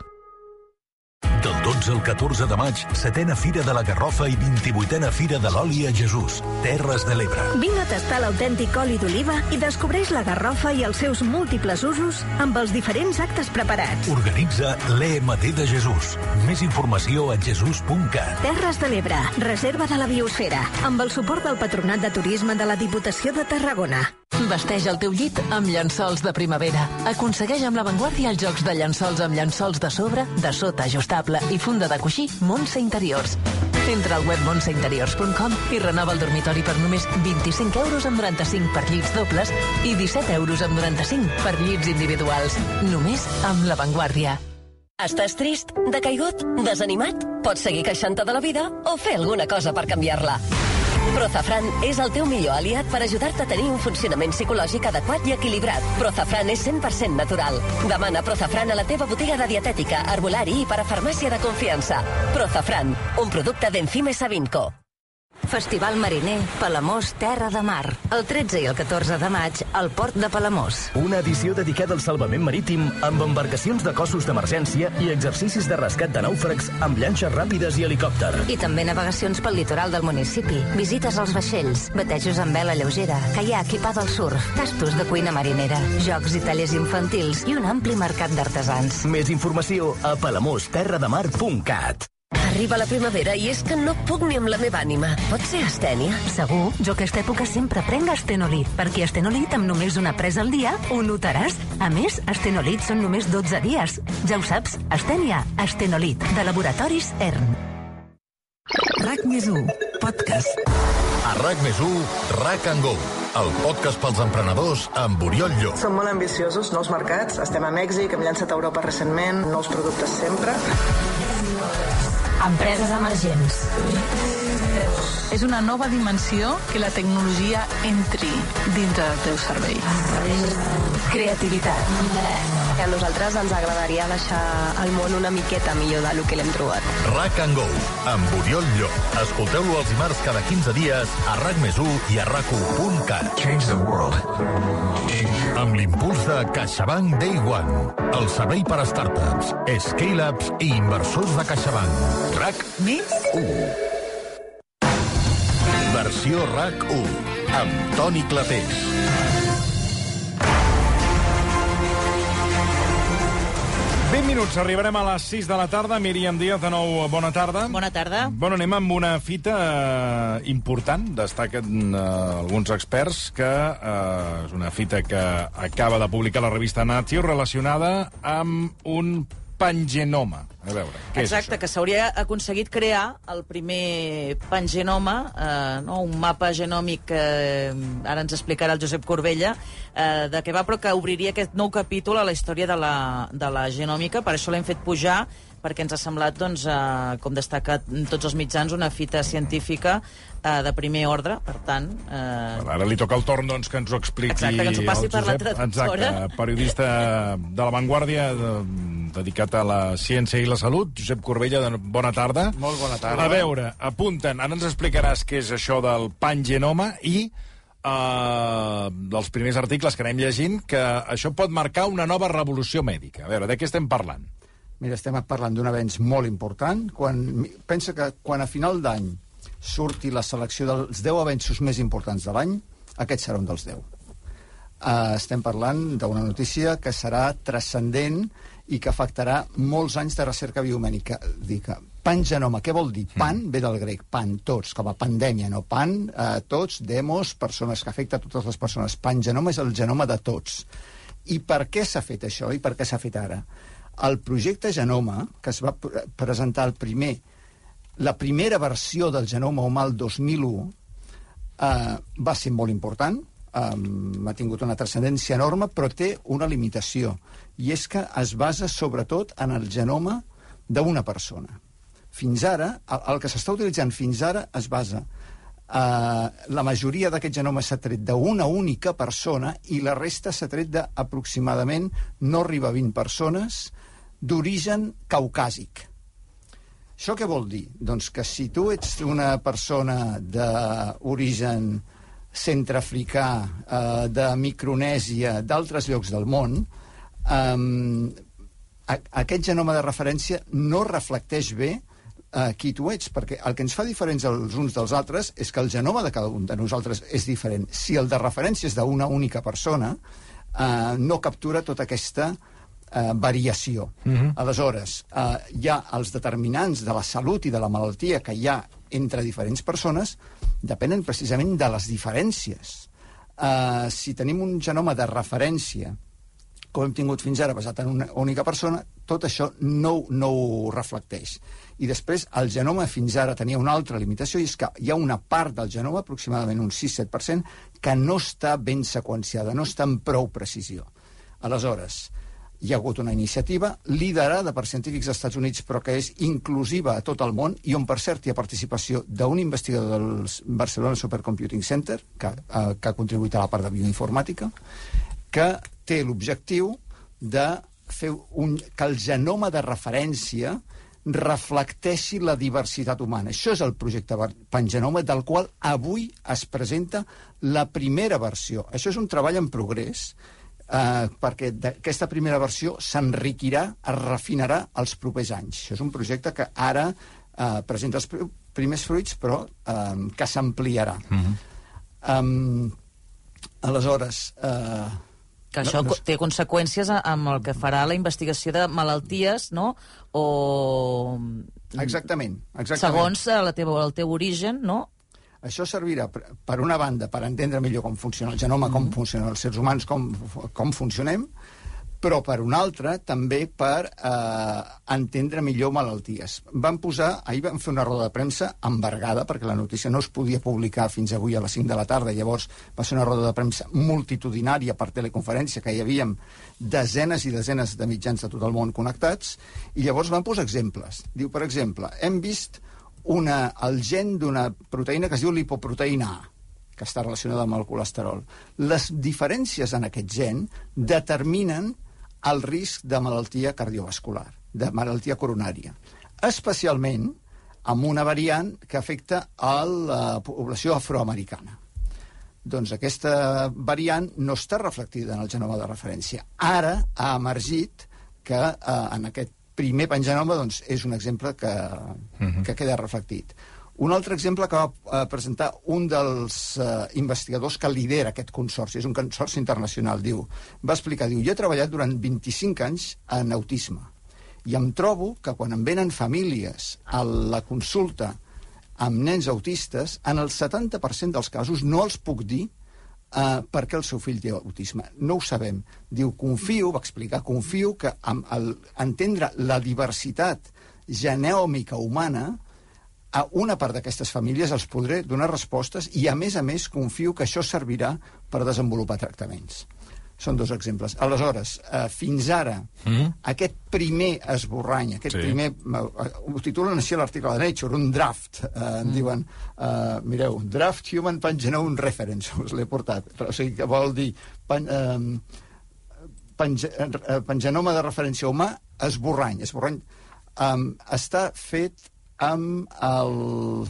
Del dotze al catorze de maig, setena Fira de la Garrofa i vint-i-vuitena Fira de l'Oli a Jesús, Terres de l'Ebre. Vine a tastar l'autèntic oli d'oliva i descobreix la garrofa i els seus múltiples usos amb els diferents actes preparats. Organitza l'E M T de Jesús. Més informació a jesús punt cat. Terres de l'Ebre, reserva de la biosfera, amb el suport del Patronat de Turisme de la Diputació de Tarragona. Vesteix el teu llit amb llençols de primavera. Aconsegueix amb l'avantguàrdia els jocs de llençols amb llençols de sobre, de sota ajustable i funda de coixí Montse Interiors. Entra al web montse interiors punt com i renova el dormitori per només vint-i-cinc euros amb noranta-cinc per llits dobles i disset euros amb noranta-cinc per llits individuals. Només amb l'avantguàrdia. Estàs trist, decaigut, desanimat? Pots seguir queixant-te de la vida o fer alguna cosa per canviar-la. Prozafran és el teu millor aliat per ajudar-te a tenir un funcionament psicològic adequat i equilibrat. Prozafran és cent per cent natural. Demana Prozafran a la teva botiga de dietètica, herbolari i parafarmàcia de confiança. Prozafran, un producte d'Enzime Savinco. Festival Mariner, Palamós, Terra de Mar. El tretze i el catorze de maig, al port de Palamós. Una edició dedicada al salvament marítim amb embarcacions de cossos d'emergència i exercicis de rescat de nàufrags amb llanxes ràpides i helicòpter. I també navegacions pel litoral del municipi, visites als vaixells, batejos amb vela lleugera, caiac i pa del surf, tastos de cuina marinera, jocs i tallers infantils i un ampli mercat d'artesans. Més informació a palamós terra de mar punt cat. Arriba la primavera i és que no puc ni amb la meva ànima. Pot ser astènia? Segur, jo aquesta època sempre prenc Astenolit, perquè Astenolit amb només una presa al dia ho notaràs. A més, Astenolit són només dotze dies. Ja ho saps, Astènia, Astenolit, de Laboratoris E R N. RAC més u, podcast. A RAC més u, RAC and Go, el podcast pels emprenedors amb Oriol Llop. Som molt ambiciosos, nous mercats, estem a Mèxic, hem llançat a Europa recentment, nous productes sempre. Empreses emergents. És una nova dimensió que la tecnologia entri dintre del teu servei. Creativitat. A nosaltres ens agradaria deixar el món una miqueta millor del que l'hem trobat. RAC and Go, amb Oriol Llop. Escolteu-lo els dimarts cada quinze dies a RAC més u i a rac u punt cat. Change the world. Amb l'impuls de CaixaBank Day One, el servei per a startups, scale-ups i inversors de CaixaBank. RAC més u. Versió RAC u, amb Toni Clapés. vint minuts, arribarem a les sis de la tarda. Míriam Díaz, de nou, bona tarda. Bona tarda. Bueno, anem amb una fita eh, important, destaquen eh, alguns experts, que eh, és una fita que acaba de publicar la revista Nature relacionada amb un pangenoma. A veure, què Exacte, és que s'hauria aconseguit crear el primer pangenoma, eh, no? un mapa genòmic que eh, ara ens explicarà el Josep Corbella, eh, de què va, però que obriria aquest nou capítol a la història de la, de la genòmica. Per això l'hem fet pujar, perquè ens ha semblat, doncs, eh, com destaca tots els mitjans, una fita científica eh, de primer ordre, per tant... Eh... Ara li toca el torn, doncs, que ens ho expliqui Exacte, que ens ho passi el per la Josep. traductora. Exacte, periodista de La Vanguardia, de, dedicat a la ciència i la salut. Josep Corbella, de, bona tarda. Molt bona tarda. A veure, apunten, ara ens explicaràs què és això del pangenoma i Uh, dels primers articles que anem llegint, que això pot marcar una nova revolució mèdica. A veure, de què estem parlant? Mira, estem parlant d'un avenç molt important. Quan, pensa que quan a final d'any surti la selecció dels deu avenços més importants de l'any, aquest serà un dels deu. Uh, estem parlant d'una notícia que serà transcendent i que afectarà molts anys de recerca biomèdica. Pangenoma, què vol dir? Pan ve del grec, pan, tots, com a pandèmia, no? Pan, eh, tots, demos, persones, que afecta a totes les persones. Pangenoma és el genoma de tots. I per què s'ha fet això? I per què s'ha fet ara? El projecte Genoma, que es va pr presentar el primer, la primera versió del genoma humà el dos mil u, eh, va ser molt important, um, ha tingut una transcendència enorme, però té una limitació, i és que es basa sobretot en el genoma d'una persona. Fins ara, el, el que s'està utilitzant fins ara es basa... Uh, la majoria d'aquest genoma s'ha tret d'una única persona i la resta s'ha tret d'aproximadament, no arriba a vint persones, d'origen caucàsic. Això què vol dir? Doncs que si tu ets una persona d'origen centreafricà, uh, de Micronèsia, d'altres llocs del món, um, a, aquest genoma de referència no reflecteix bé Uh, qui tu ets, perquè el que ens fa diferents els uns dels altres és que el genoma de cada un de nosaltres és diferent. Si el de referència és d'una única persona, uh, no captura tota aquesta uh, variació. Uh-huh. Aleshores, uh, hi ha els determinants de la salut i de la malaltia que hi ha entre diferents persones, depenen precisament de les diferències. Uh, si tenim un genoma de referència, com hem tingut fins ara, basat en una única persona, tot això no, no ho reflecteix. I després, el genoma fins ara tenia una altra limitació, i és que hi ha una part del genoma, aproximadament un sis set per cent, que no està ben seqüenciada, no està amb prou precisió. Aleshores, hi ha hagut una iniciativa liderada per científics dels Estats Units, però que és inclusiva a tot el món, i on, per cert, hi ha participació d'un investigador del Barcelona Supercomputing Center, que, eh, que ha contribuït a la part de bioinformàtica, que té l'objectiu de fer un, que el genoma de referència reflecteixi la diversitat humana. Això és el projecte Pangenoma, del qual avui es presenta la primera versió. Això és un treball en progrés, eh, perquè aquesta primera versió s'enriquirà, es refinarà els propers anys. Això és un projecte que ara eh, presenta els pr primers fruits, però eh, que s'ampliarà. Mm-hmm. um, aleshores... Eh, que això no, no... té conseqüències amb el que farà la investigació de malalties, no? O... Exactament, exactament. Segons la teva, el teu origen, no? Això servirà, per una banda, per entendre millor com funciona el genoma, mm-hmm. com funcionen els sers humans, com, com funcionem, però per una altra també per eh, entendre millor malalties. Vam posar, ahir vam fer una roda de premsa embargada, perquè la notícia no es podia publicar fins avui a les cinc de la tarda, llavors va ser una roda de premsa multitudinària per teleconferència, que hi havíem desenes i desenes de mitjans de tot el món connectats, i llavors vam posar exemples. Diu, per exemple, hem vist una, el gen d'una proteïna que es diu lipoproteïna A, que està relacionada amb el colesterol. Les diferències en aquest gen determinen el risc de malaltia cardiovascular, de malaltia coronària, especialment amb una variant que afecta a la població afroamericana. Doncs aquesta variant no està reflectida en el genoma de referència. Ara ha emergit que eh, en aquest primer pangenoma doncs, és un exemple que, uh-huh. que queda reflectit. Un altre exemple que va eh, presentar un dels eh, investigadors que lidera aquest consorci, és un consorci internacional, diu, va explicar, diu, jo he treballat durant vint-i-cinc anys en autisme i em trobo que quan em venen famílies a la consulta amb nens autistes, en el setanta per cent dels casos no els puc dir eh, per què el seu fill té autisme. No ho sabem. Diu, confio, va explicar, confio que amb el, entendre la diversitat genèmica humana, a una part d'aquestes famílies els podré donar respostes i, a més a més, confio que això servirà per desenvolupar tractaments. Són dos exemples. Aleshores, eh, fins ara, mm-hmm. aquest primer esborrany, aquest sí. primer... Eh, ho titulen així a l'article de Nature, un draft. Eh, mm. En diuen, eh, mireu, Draft Human Pangenome Reference, us l'he portat. O sigui, que vol dir pan, eh, pange, eh, pangenoma de referència humà, esborrany. Esborrany eh, està fet amb el...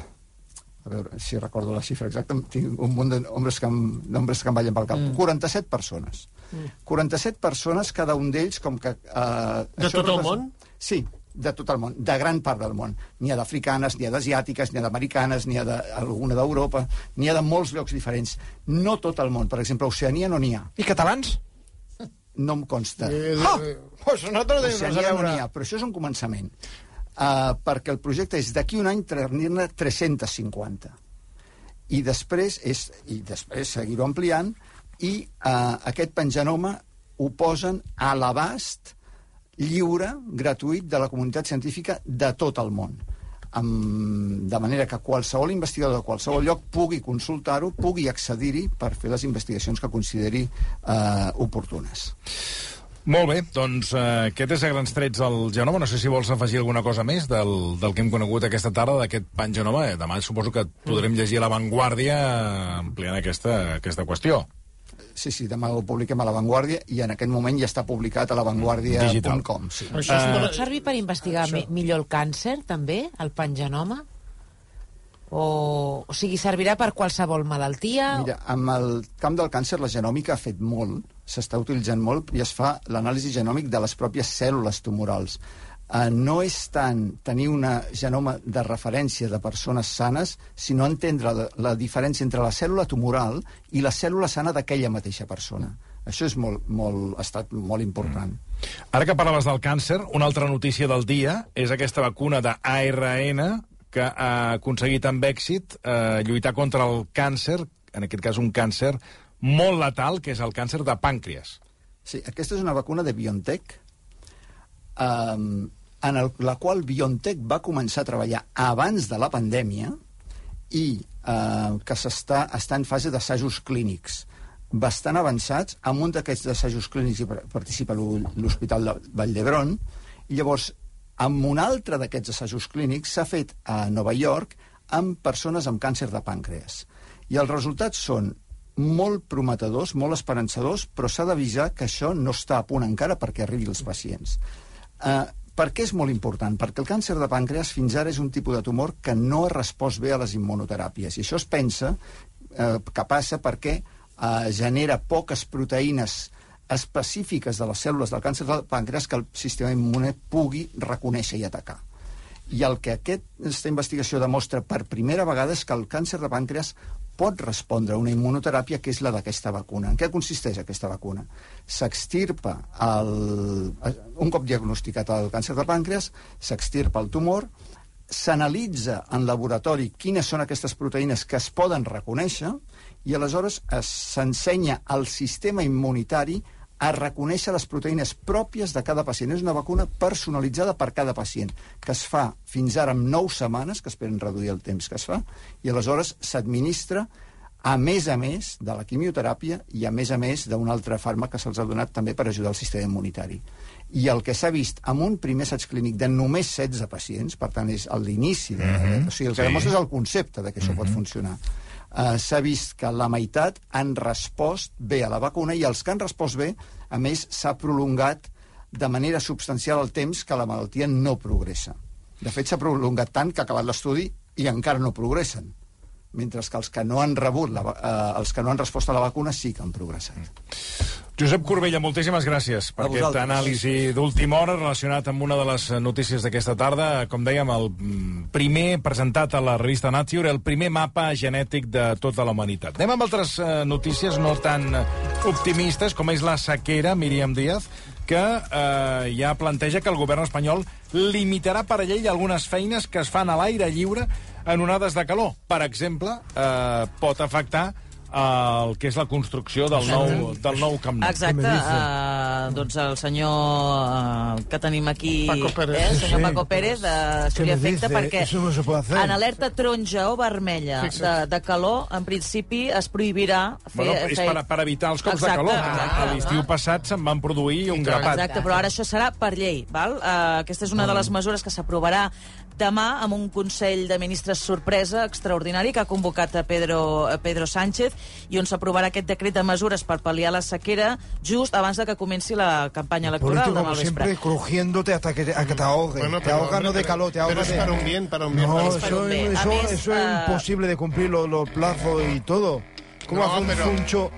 A veure si recordo la xifra exacta, tinc un munt de nombres que em, nombres que em ballen pel cap. Mm. quaranta-set persones. Mm. quaranta-set persones, cada un d'ells com que... Eh, de tot el món? Sí, de tot el món, de gran part del món. N'hi ha d'africanes, n'hi ha d'asiàtiques, n'hi ha d'americanes, n'hi ha d'alguna d'Europa, n'hi ha de molts llocs diferents. No tot el món. Per exemple, a Oceania no n'hi ha. I catalans? No em consta. Eh, ah! Pues nosaltres Oceania no n'hi ha, però això és un començament. Uh, perquè el projecte és d'aquí un any tenir-ne tres-cents cinquanta i després és i després seguir-ho ampliant i uh, aquest pangenoma ho posen a l'abast lliure, gratuït de la comunitat científica de tot el món, um, de manera que qualsevol investigador de qualsevol lloc pugui consultar-ho, pugui accedir-hi per fer les investigacions que consideri uh, oportunes. Molt bé, doncs eh, aquest és a grans trets el genoma. No sé si vols afegir alguna cosa més del, del que hem conegut aquesta tarda, d'aquest pangenoma. Eh, demà suposo que podrem llegir a La Vanguardia ampliant aquesta, aquesta qüestió. Sí, sí, demà ho publiquem a La Vanguardia i en aquest moment ja està publicat a la vanguardia punt com. Sí. Això uh, pot servir per investigar això. millor el càncer, també, el pangenoma? O, o sigui, servirà per qualsevol malaltia? Mira, amb el camp del càncer la genòmica ha fet molt, s'està utilitzant molt i es fa l'anàlisi genòmic de les pròpies cèl·lules tumorals. Uh, no és tant tenir una genoma de referència de persones sanes, sinó entendre la, la diferència entre la cèl·lula tumoral i la cèl·lula sana d'aquella mateixa persona. Això és molt, molt, ha estat molt important. Mm. Ara que parlaves del càncer, una altra notícia del dia és aquesta vacuna d'A R N que ha aconseguit amb èxit eh, lluitar contra el càncer, en aquest cas un càncer molt letal, que és el càncer de pàncreas. Sí, aquesta és una vacuna de BioNTech, um, en el, la qual BioNTech va començar a treballar abans de la pandèmia i uh, que s'està està en fase d'assajos clínics. bastant avançats. En un d'aquests assajos clínics hi participa l'Hospital de Vall d'Hebron, i llavors, en un altre d'aquests assajos clínics s'ha fet a Nova York amb persones amb càncer de pàncreas. I els resultats són molt prometedors, molt esperançadors, però s'ha d'avisar que això no està a punt encara perquè arribi als pacients. Eh, per què és molt important? Perquè el càncer de pàncreas fins ara és un tipus de tumor que no ha respost bé a les immunoteràpies. I això es pensa eh, que passa perquè eh, genera poques proteïnes específiques de les cèl·lules del càncer del pàncreas que el sistema immune pugui reconèixer i atacar. I el que aquesta investigació demostra per primera vegada és que el càncer de pàncreas pot respondre a una immunoteràpia que és la d'aquesta vacuna. En què consisteix aquesta vacuna? S'extirpa el... un cop diagnosticat el càncer de pàncreas, s'extirpa el tumor, s'analitza en laboratori quines són aquestes proteïnes que es poden reconèixer i aleshores s'ensenya al sistema immunitari a reconèixer les proteïnes pròpies de cada pacient. És una vacuna personalitzada per cada pacient, que es fa fins ara en nou setmanes, que esperen reduir el temps que es fa, i aleshores s'administra a més a més de la quimioteràpia i a més a més d'un altre fàrmac que se'ls ha donat també per ajudar el sistema immunitari. I el que s'ha vist amb un primer assaig clínic de només setze pacients, per tant és l'inici, de... mm-hmm. o sigui, el que sí. demostra és el concepte de que això mm-hmm. pot funcionar. Uh, s'ha vist que la meitat han respost bé a la vacuna i els que han respost bé, a més, s'ha prolongat de manera substancial el temps que la malaltia no progressa. De fet, s'ha prolongat tant que ha acabat l'estudi i encara no progressen, mentre que els que no han rebut la, uh, els que no han respost a la vacuna sí que han progressat. Josep Corbella, moltíssimes gràcies per aquest anàlisi d'última hora relacionat amb una de les notícies d'aquesta tarda. Com dèiem, el primer presentat a la revista Nature, el primer mapa genètic de tota la humanitat. Anem amb altres eh, notícies no tan optimistes, com és la sequera, Míriam Díaz, que eh, ja planteja que el govern espanyol limitarà per llei algunes feines que es fan a l'aire lliure en onades de calor. Per exemple, eh, pot afectar el que és la construcció del nou, del nou Camp Nou. Exacte. Uh, doncs el senyor uh, que tenim aquí, Paco Pérez. Eh, el senyor sí. Paco Pérez, de Estudia Efecte, perquè no en alerta taronja o vermella de, de calor, en principi es prohibirà fer... Bueno, és fer... per, per evitar els cops exacte, de calor. Exacte, a l'estiu passat se'n van produir un grapat. Exacte, però ara això serà per llei. Val? Uh, aquesta és una de les mesures que s'aprovarà demà amb un Consell de Ministres sorpresa extraordinari que ha convocat a Pedro, a Pedro Sánchez i on s'aprovarà aquest decret de mesures per pal·liar la sequera just abans de que comenci la campanya electoral demà al vespre. Siempre crujiéndote hasta que, a que te ahogue. Bueno, te ahoga no de calor, te ahoga de... Pero es para un bien, para un bien. No, para eso, bien. Eso, eso, eso uh... es imposible de cumplir los, los plazos y todo. ¿Cómo no, hace un pero... zuncho...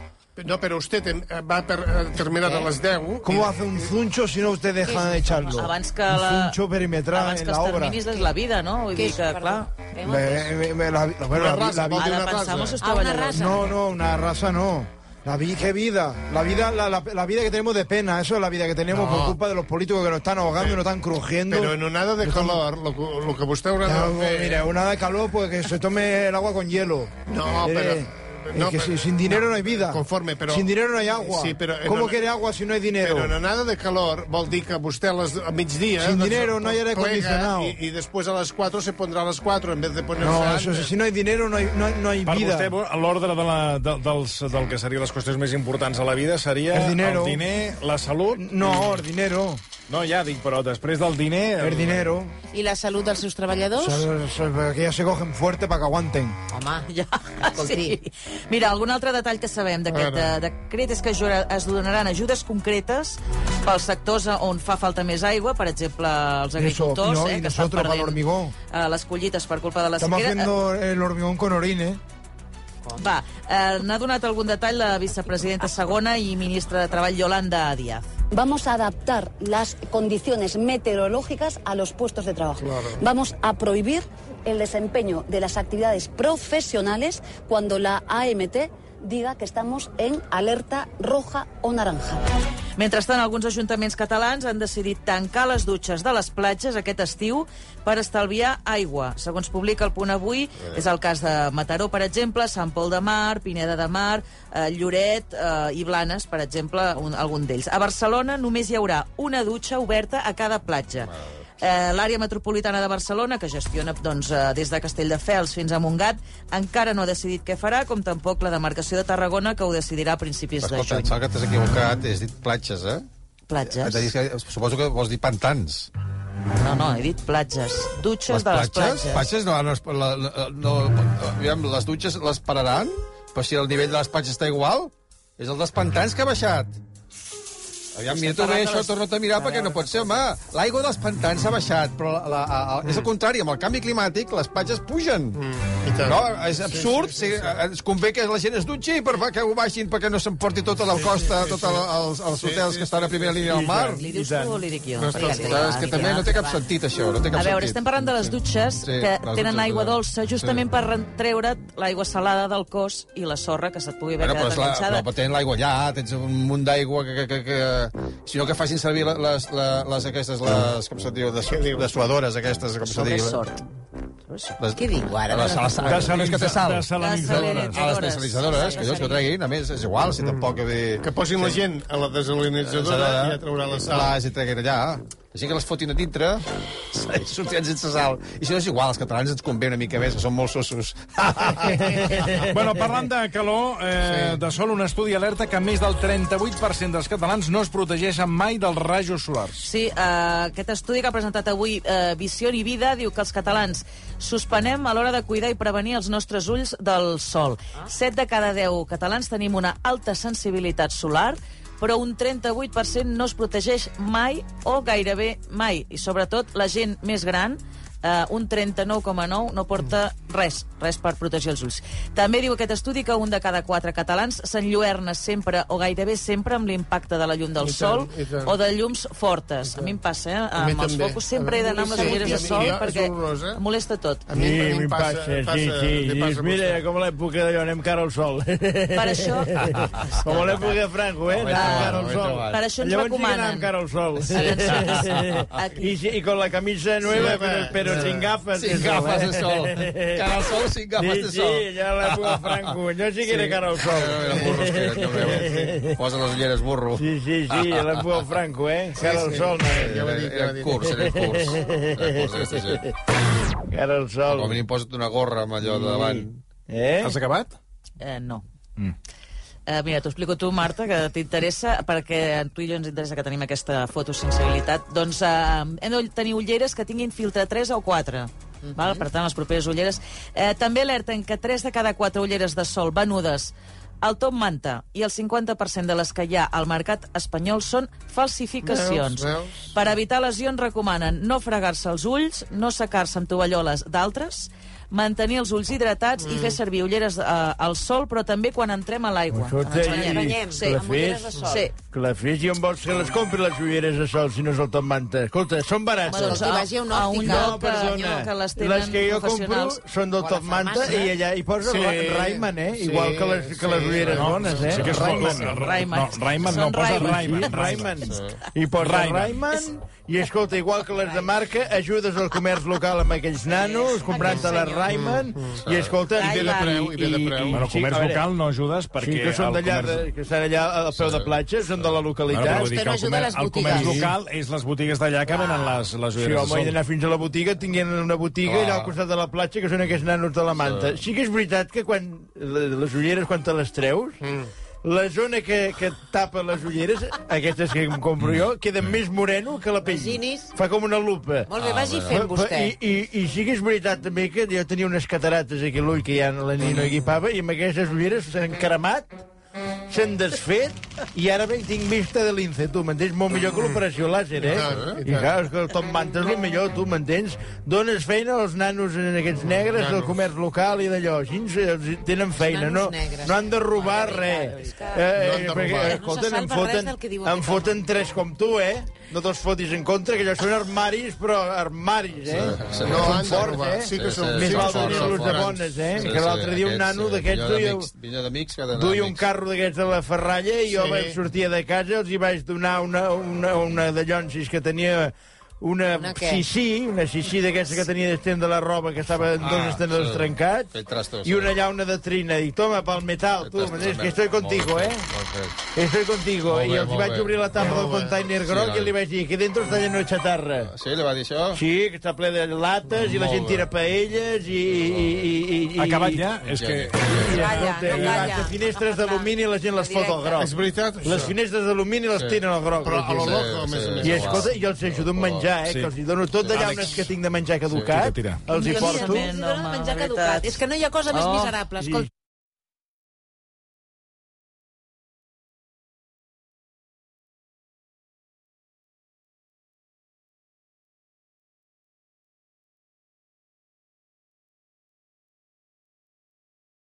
No, pero usted va a terminar a las diez. ¿Cómo hace un zuncho si no usted deja de echarlo? Abans que un la... zuncho perimetral en la obra. Abans que els terminis és la vida, no? Vull dir que, clar... Me, me, me, la, la, bueno, la, la, la vida de una raza. Ah, una raza. No, no, una raza no. La vida, ¿qué vida? La vida, la, la, la vida que tenemos de pena, eso es la vida que tenemos no. por culpa de los políticos que nos están ahogando pero, y nos están crujiendo. Pero en un nada de calor, lo, lo que usted habrá de hacer... Mira, un nada de calor, pues que se tome el agua con hielo. No, eh, pero... No, es que pero, sin dinero no, no hay vida. Conforme, pero... Sin dinero no hay agua. Sí, pero, ¿Cómo no, quiere agua si no hay dinero? Pero en nada de calor vol dir que vostè a, les, a migdia... Sin dinero no hay aire acondicionado. Y, y después a las cuatro se pondrá a las cuatro en vez de ponerse... No, eso, si no hay dinero no hay, no, no hay per vida. Per vostè, l'ordre de la, de, dels, del que serien les qüestions més importants a la vida seria el, dinero. el diner, la salut... No, el dinero... No, ja dic, però després del diner... El, el dinero. I la salut dels seus treballadors? O sea, que ya se cogen fuerte para que aguanten. Home, ja, sí. Mira, algun altre detall que sabem d'aquest de, decret és que es donaran ajudes concretes pels sectors on fa falta més aigua, per exemple, els agricultors, Eso, no, eh, que estan perdent uh, les collites per culpa de la Estamos sequera. Estamos haciendo el hormigón con orine. Va, eh, n'ha donat algun detall la vicepresidenta segona i ministra de Treball, Yolanda Díaz. Vamos a adaptar las condiciones meteorológicas a los puestos de trabajo. Claro. Vamos a prohibir el desempeño de las actividades profesionales cuando la A M T diga que estamos en alerta roja o naranja. Mentrestant, alguns ajuntaments catalans han decidit tancar les dutxes de les platges aquest estiu per estalviar aigua. Segons publica el Punt Avui, és el cas de Mataró, per exemple, Sant Pol de Mar, Pineda de Mar, eh, Lloret eh, i Blanes, per exemple, un, algun d'ells. A Barcelona només hi haurà una dutxa oberta a cada platja. Eh, L'àrea metropolitana de Barcelona, que gestiona doncs, eh, des de Castelldefels fins a Montgat, encara no ha decidit què farà, com tampoc la demarcació de Tarragona, que ho decidirà a principis de Escolta, juny. em sembla que t'has equivocat, has dit platges, eh? Platges? T'ha dit que, suposo que vols dir pantans. No, no, he dit platges. Dutxes de les platges. Platges no, no, la, la, no, aviam, les dutxes les pararan? Però si el nivell de les platges està igual, és el dels pantans que ha baixat. Aviam, mira-t'ho bé, això, torna-t'ho a mirar, perquè no pot ser, home. L'aigua dels pantans ha baixat, però la, la, la, mm. és el contrari, amb el canvi climàtic les platges pugen. Mm. No, és absurd, sí, sí, sí, sí. Ens convé que la gent es dutxi per que ho baixin, perquè no s'emporti tota la costa, sí, sí, tots els, els hotels sí, sí, que estan a primera línia del mar. Li dius tu o li dic jo? No, és que també no té cap sentit, això, no té cap sentit. A veure, sentit. estem parlant de les dutxes sí, que les tenen dutxes, aigua dolça justament sí. per treure't l'aigua salada del cos i la sorra que se't pugui haver bueno, quedat enganxada. Però tenen l'aigua allà, tens un munt d'aigua que, que, que, que... Si no que facin servir les, les, les aquestes, les, com se diu, des, dessuadores aquestes, com se diu. Sobresort. Les, Què diu ara? Les, les, les, les que té sal. Desalinitzadores. Ah, les desalinitzadores, que dius que ho treguin, a més, és igual, si tampoc... Que posin la gent a la desalinitzadora i ja traurà la sal. Clar, si treguin allà... Així que les fotin a dintre, sortiran sense sal. I si no és igual, els catalans ens convé una mica més, que són molt sossos. Bueno, parlant de calor, eh, sí. de sol, un estudi alerta que més del trenta-vuit per cent dels catalans no es protegeixen mai dels rajos solars. Sí, eh, aquest estudi que ha presentat avui eh, Visió i Vida diu que els catalans suspenem a l'hora de cuidar i prevenir els nostres ulls del sol. Set de cada deu catalans tenim una alta sensibilitat solar, però un trenta-vuit per cent no es protegeix mai o gairebé mai. I sobretot la gent més gran, eh, un trenta-nou coma nou, no porta res, res per protegir els ulls. També diu aquest estudi que un de cada quatre catalans s'enlluerna sempre o gairebé sempre amb l'impacte de la llum del sol o de llums fortes. A mi em passa, eh? Amb els focus sempre he d'anar amb les ulleres de sol perquè em molesta tot. A mi em passa, sí, sí. Dius, mira, com a l'època d'allò, anem cara al sol. Per això... Com a l'època de Franco, eh? Anem cara al sol. Per això ens recomanen. Llavors sí que anem cara al sol. I con la camisa nueva, però sin gafas. Sin gafas de sol. Cara al sol, sin gafas de sol. Sí, ja l'època de Franco. Jo sí que era cara al sol. Posa les ulleres, burro. Sí, sí, sí, l'època de Franco, eh? Cara al sol. Era curs, era curs. Cara al sol. Com a mínim posa't una gorra amb allò de davant. Eh? Has acabat? Eh, no. Mm. Uh, mira, t'ho explico tu, Marta, que t'interessa, perquè a tu i jo ens interessa que tenim aquesta fotosensibilitat. Doncs uh, hem de tenir ulleres que tinguin filtre tres o quatre. Mm-hmm. Val? Per tant, les properes ulleres. Eh, també alerten que tres de cada quatre ulleres de sol venudes al top manta i el cinquanta per cent de les que hi ha al mercat espanyol són falsificacions. Veus, veus. Per evitar lesions recomanen no fregar-se els ulls, no secar-se amb tovalloles d'altres, mantenir els ulls hidratats mm. i fer servir ulleres uh, al sol, però també quan entrem a l'aigua. Ens banyem. Sí, amb ulleres de sol. Sí. Clafés, i on vols que les compri les ulleres de sol si no és el top manta? Escolta, són barates. Bueno, doncs, a, a un lloc que, no, que les tenen les que jo compro són del top manta i allà hi posa sí. Rayman, eh? Sí. Igual que les, que les ulleres no, bones, eh? Sí que és Rayman. Rayman. No, Rayman no, posa Rayman. Rayman. I posa Rayman. I escolta, igual que les de marca, ajudes al comerç local amb aquells nanos, comprant-te les Rayman, i escolta... I ve de preu, i ve de preu. Bueno, comerç local no ajudes perquè... Sí, que són d'allà, que estan allà al peu de platja, són de la localitat. Bueno, però el, comer, el comerç local és les botigues d'allà que venen les, les ulleres de sol. Sí, home, he d'anar fins a la botiga, tinguin una botiga allà al costat de la platja, que són aquests nanos de la manta. Sí que és veritat que quan les ulleres, quan te les treus, la zona que, que tapa les ulleres, aquestes que em compro jo, queda més moreno que la pell. Fa com una lupa. Molt bé, vagi fent vostè. I, i, I sí que és veritat també que jo tenia unes catarates aquí a l'ull que ja la nina equipava, i amb aquestes ulleres s'han cremat, s'han desfet, i ara ben tinc vista de lince, tu m'entens? Molt millor que l'operació làser, eh? I clar, és que el top manta és el millor, tu m'entens? Dones feina als nanos en aquests negres del comerç local i d'allò, així tenen feina, no, no han de robar res. Eh, perquè, escolta, em foten, em foten tres com tu, eh? No te'ls fotis en contra, que allò són armaris, però armaris, eh? Sí, sí. No han de robar. Sí que són més val tenir-los de bones, eh? Que l'altre dia un nano d'aquests duia un carro d'aquests de la ferralla i jo vaig sortir de casa, els hi vaig donar una, una, una de llonsis que tenia una, Una què? xixí, una xixí d'aquesta que tenia d'estendre de la roba, que estava en dos Ah, estendedors sí. trencats, Fent trastos, i una llauna de trina. Dic, toma, pel metal, tu, m'entens? Que estoy contigo, eh? Estoy contigo. Molt bé, I els molt vaig bé. obrir la tapa del Molt bé. container Sí, groc noi. i li vaig dir que dentro està lleno de chatarra. Sí, li va dir això? Sí, que està ple de lates i la Molt gent bé. tira paelles i... i, i, i Acabat ja? És que... I, escolta, i les finestres d'alumini la gent les fot al groc. És veritat, això? Les finestres d'alumini les Sí. tiren al groc. Però a lo Sí, loco, a més a més. I escolta, i els ajudo a menjar, eh? Sí. Que els hi dono tot de llaunes que tinc de menjar caducat, Tira, tira. els hi porto. Els hi donen menjar caducat. És que no hi ha cosa més Oh. miserable. Escolta,